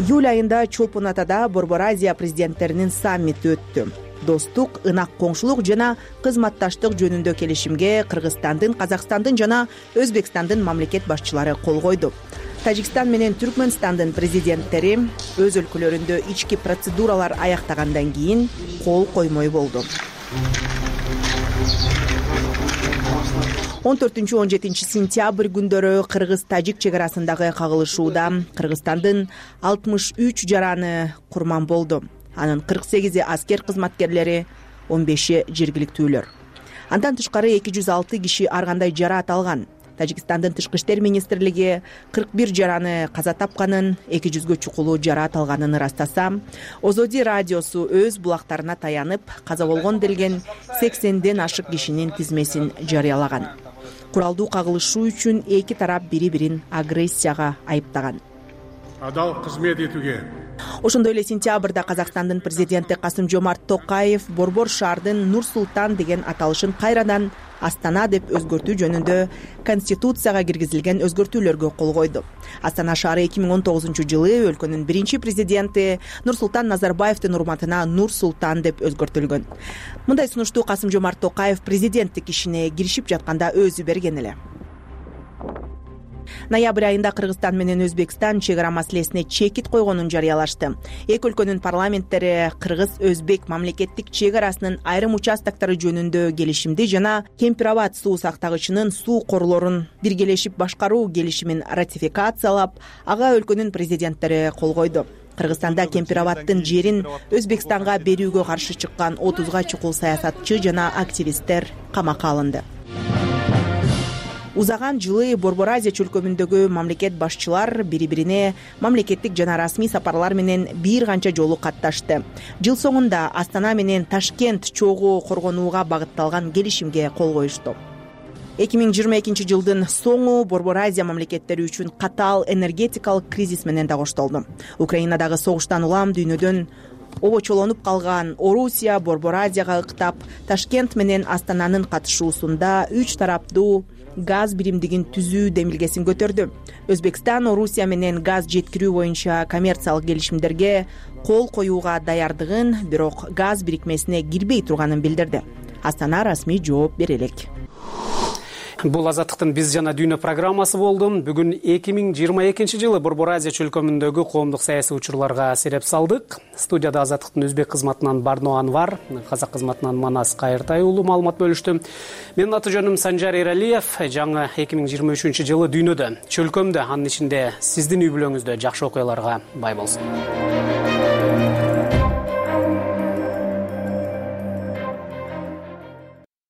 S: Июль айында Чолпон Атада Борбор Азия президенттеринин саммити өттү. Достук, ынак коңшулук жана кызматташтык жөнүндө келишимге Кыргызстандын, Казакстандын жана Өзбекстандын мамлекет башчылары кол койду. Тажикстан менен Түркмөнстандын президенттери өз өлкөлөрүндө ички процедуралар аяктагандан кийин кол коймой болду. 14-17 сентябрь күндөрү Кыргыз-Тажик чек арасындагы кагылышууда Кыргызстандын 63 жараны курман болду. Анын 48 аскер кызматкерлери, 15 жергиликтүүлөр. Андан тышкары 206 киши ар кандай жараат алган. Тажикстандын тышкы иштер министрлиги 41 жараны каза тапканын, 200гө чукулуу жараат алганын ырастаса, Озоди радиосу өз булактарына таянып, каза болгон делген 80ден ашык кишинин тизмесин жарыялаган. Куралдуу кагылышуу үчүн эки тарап бири-бирин агрессияга айыптаган.
T: Адал кызмет этүүгө.
S: Ошондой эле сентябрда Казакстандын президенти Касым-Жомарт Токаев Борбор шаардын Нур-Султан деген аталышын кайрадан Астана деп өзгөртүү жөнүндө Конституцияга киргизилген өзгөртүүлөргө кол койду. Астана шаары 2019 жылы өлкөнүн биринчи президенти Нурсултан Назарбаевдин урматына Нур-Султан деп өзгөртүлгөн. Мындай сунушту Касым-Жомарт Токаев президенттик ишине киришип жатканда өзү берген эле. Ноябрь айында Кыргызстан менен Өзбекстан чек ара маселесине чекит койгонун жарыялашты. Эки өлкөнүн парламенттери кыргыз-өзбек мамлекеттик чек арасынын айрым участоктору жөнүндө келишимди жана Кемпир-Абад суу сактагычынын суу корлорун биргелешип башкаруу келишимин ратификациялап, ага өлкөнүн президенттери кол койду. Кыргызстанда Кемпир-Абадтын жерин Өзбекстанга берүүгө каршы чыккан 30га чукул саясатчы жана активисттер камакка алынды. Узаган жылы Борбор Азия чөлкөмүндөгү мамлекет башчылар бири-бирине мамлекеттик жана расмий сапарлар менен бир канча жолу катташты. Жыл соңунда Астана менен Ташкент чогуу коргонууга багытталган келишимге кол коюшту. 2022 жылдын соңу Борбор Азия мамлекеттери үчүн катаал энергетикалык кризис менен да коштолду. Украинадагы согуштан улам дүйнөдөн обочолонуп калган Орусия Борбор Азияга ыктап, Ташкент менен Астананын катышуусунда 3 тараптуу газ биримдигин түзүү демилгесин көтөрдү. Өзбекстан Орусия менен газ жеткирүү боюнча коммерциялык келишимдерге кол коюуга даярдыгын, бирок газ бирикмесине кирбей турганын билдирди. Астана расмий жооп бере элек.
I: Бул Азаттыктын биз жана дүйнө программасы болду. Бүгүн 2022 жылы Борбор Азия чөлкөмүндөгү коомдук саясий учурларга сереп салдык. Студияда Азаттыктын өзбек кызматынан Барно Анвар, казак кызматынан Манас Кайыртай уулу маалымат бөлүштү. Менин аты жөнүм Санжар Эралиев. Жаңы 2023 жылы дүйнөдө, чөлкөмдө, анын ичинде сиздин үй бүлөңүздө жакшы окуяларга бай болсун.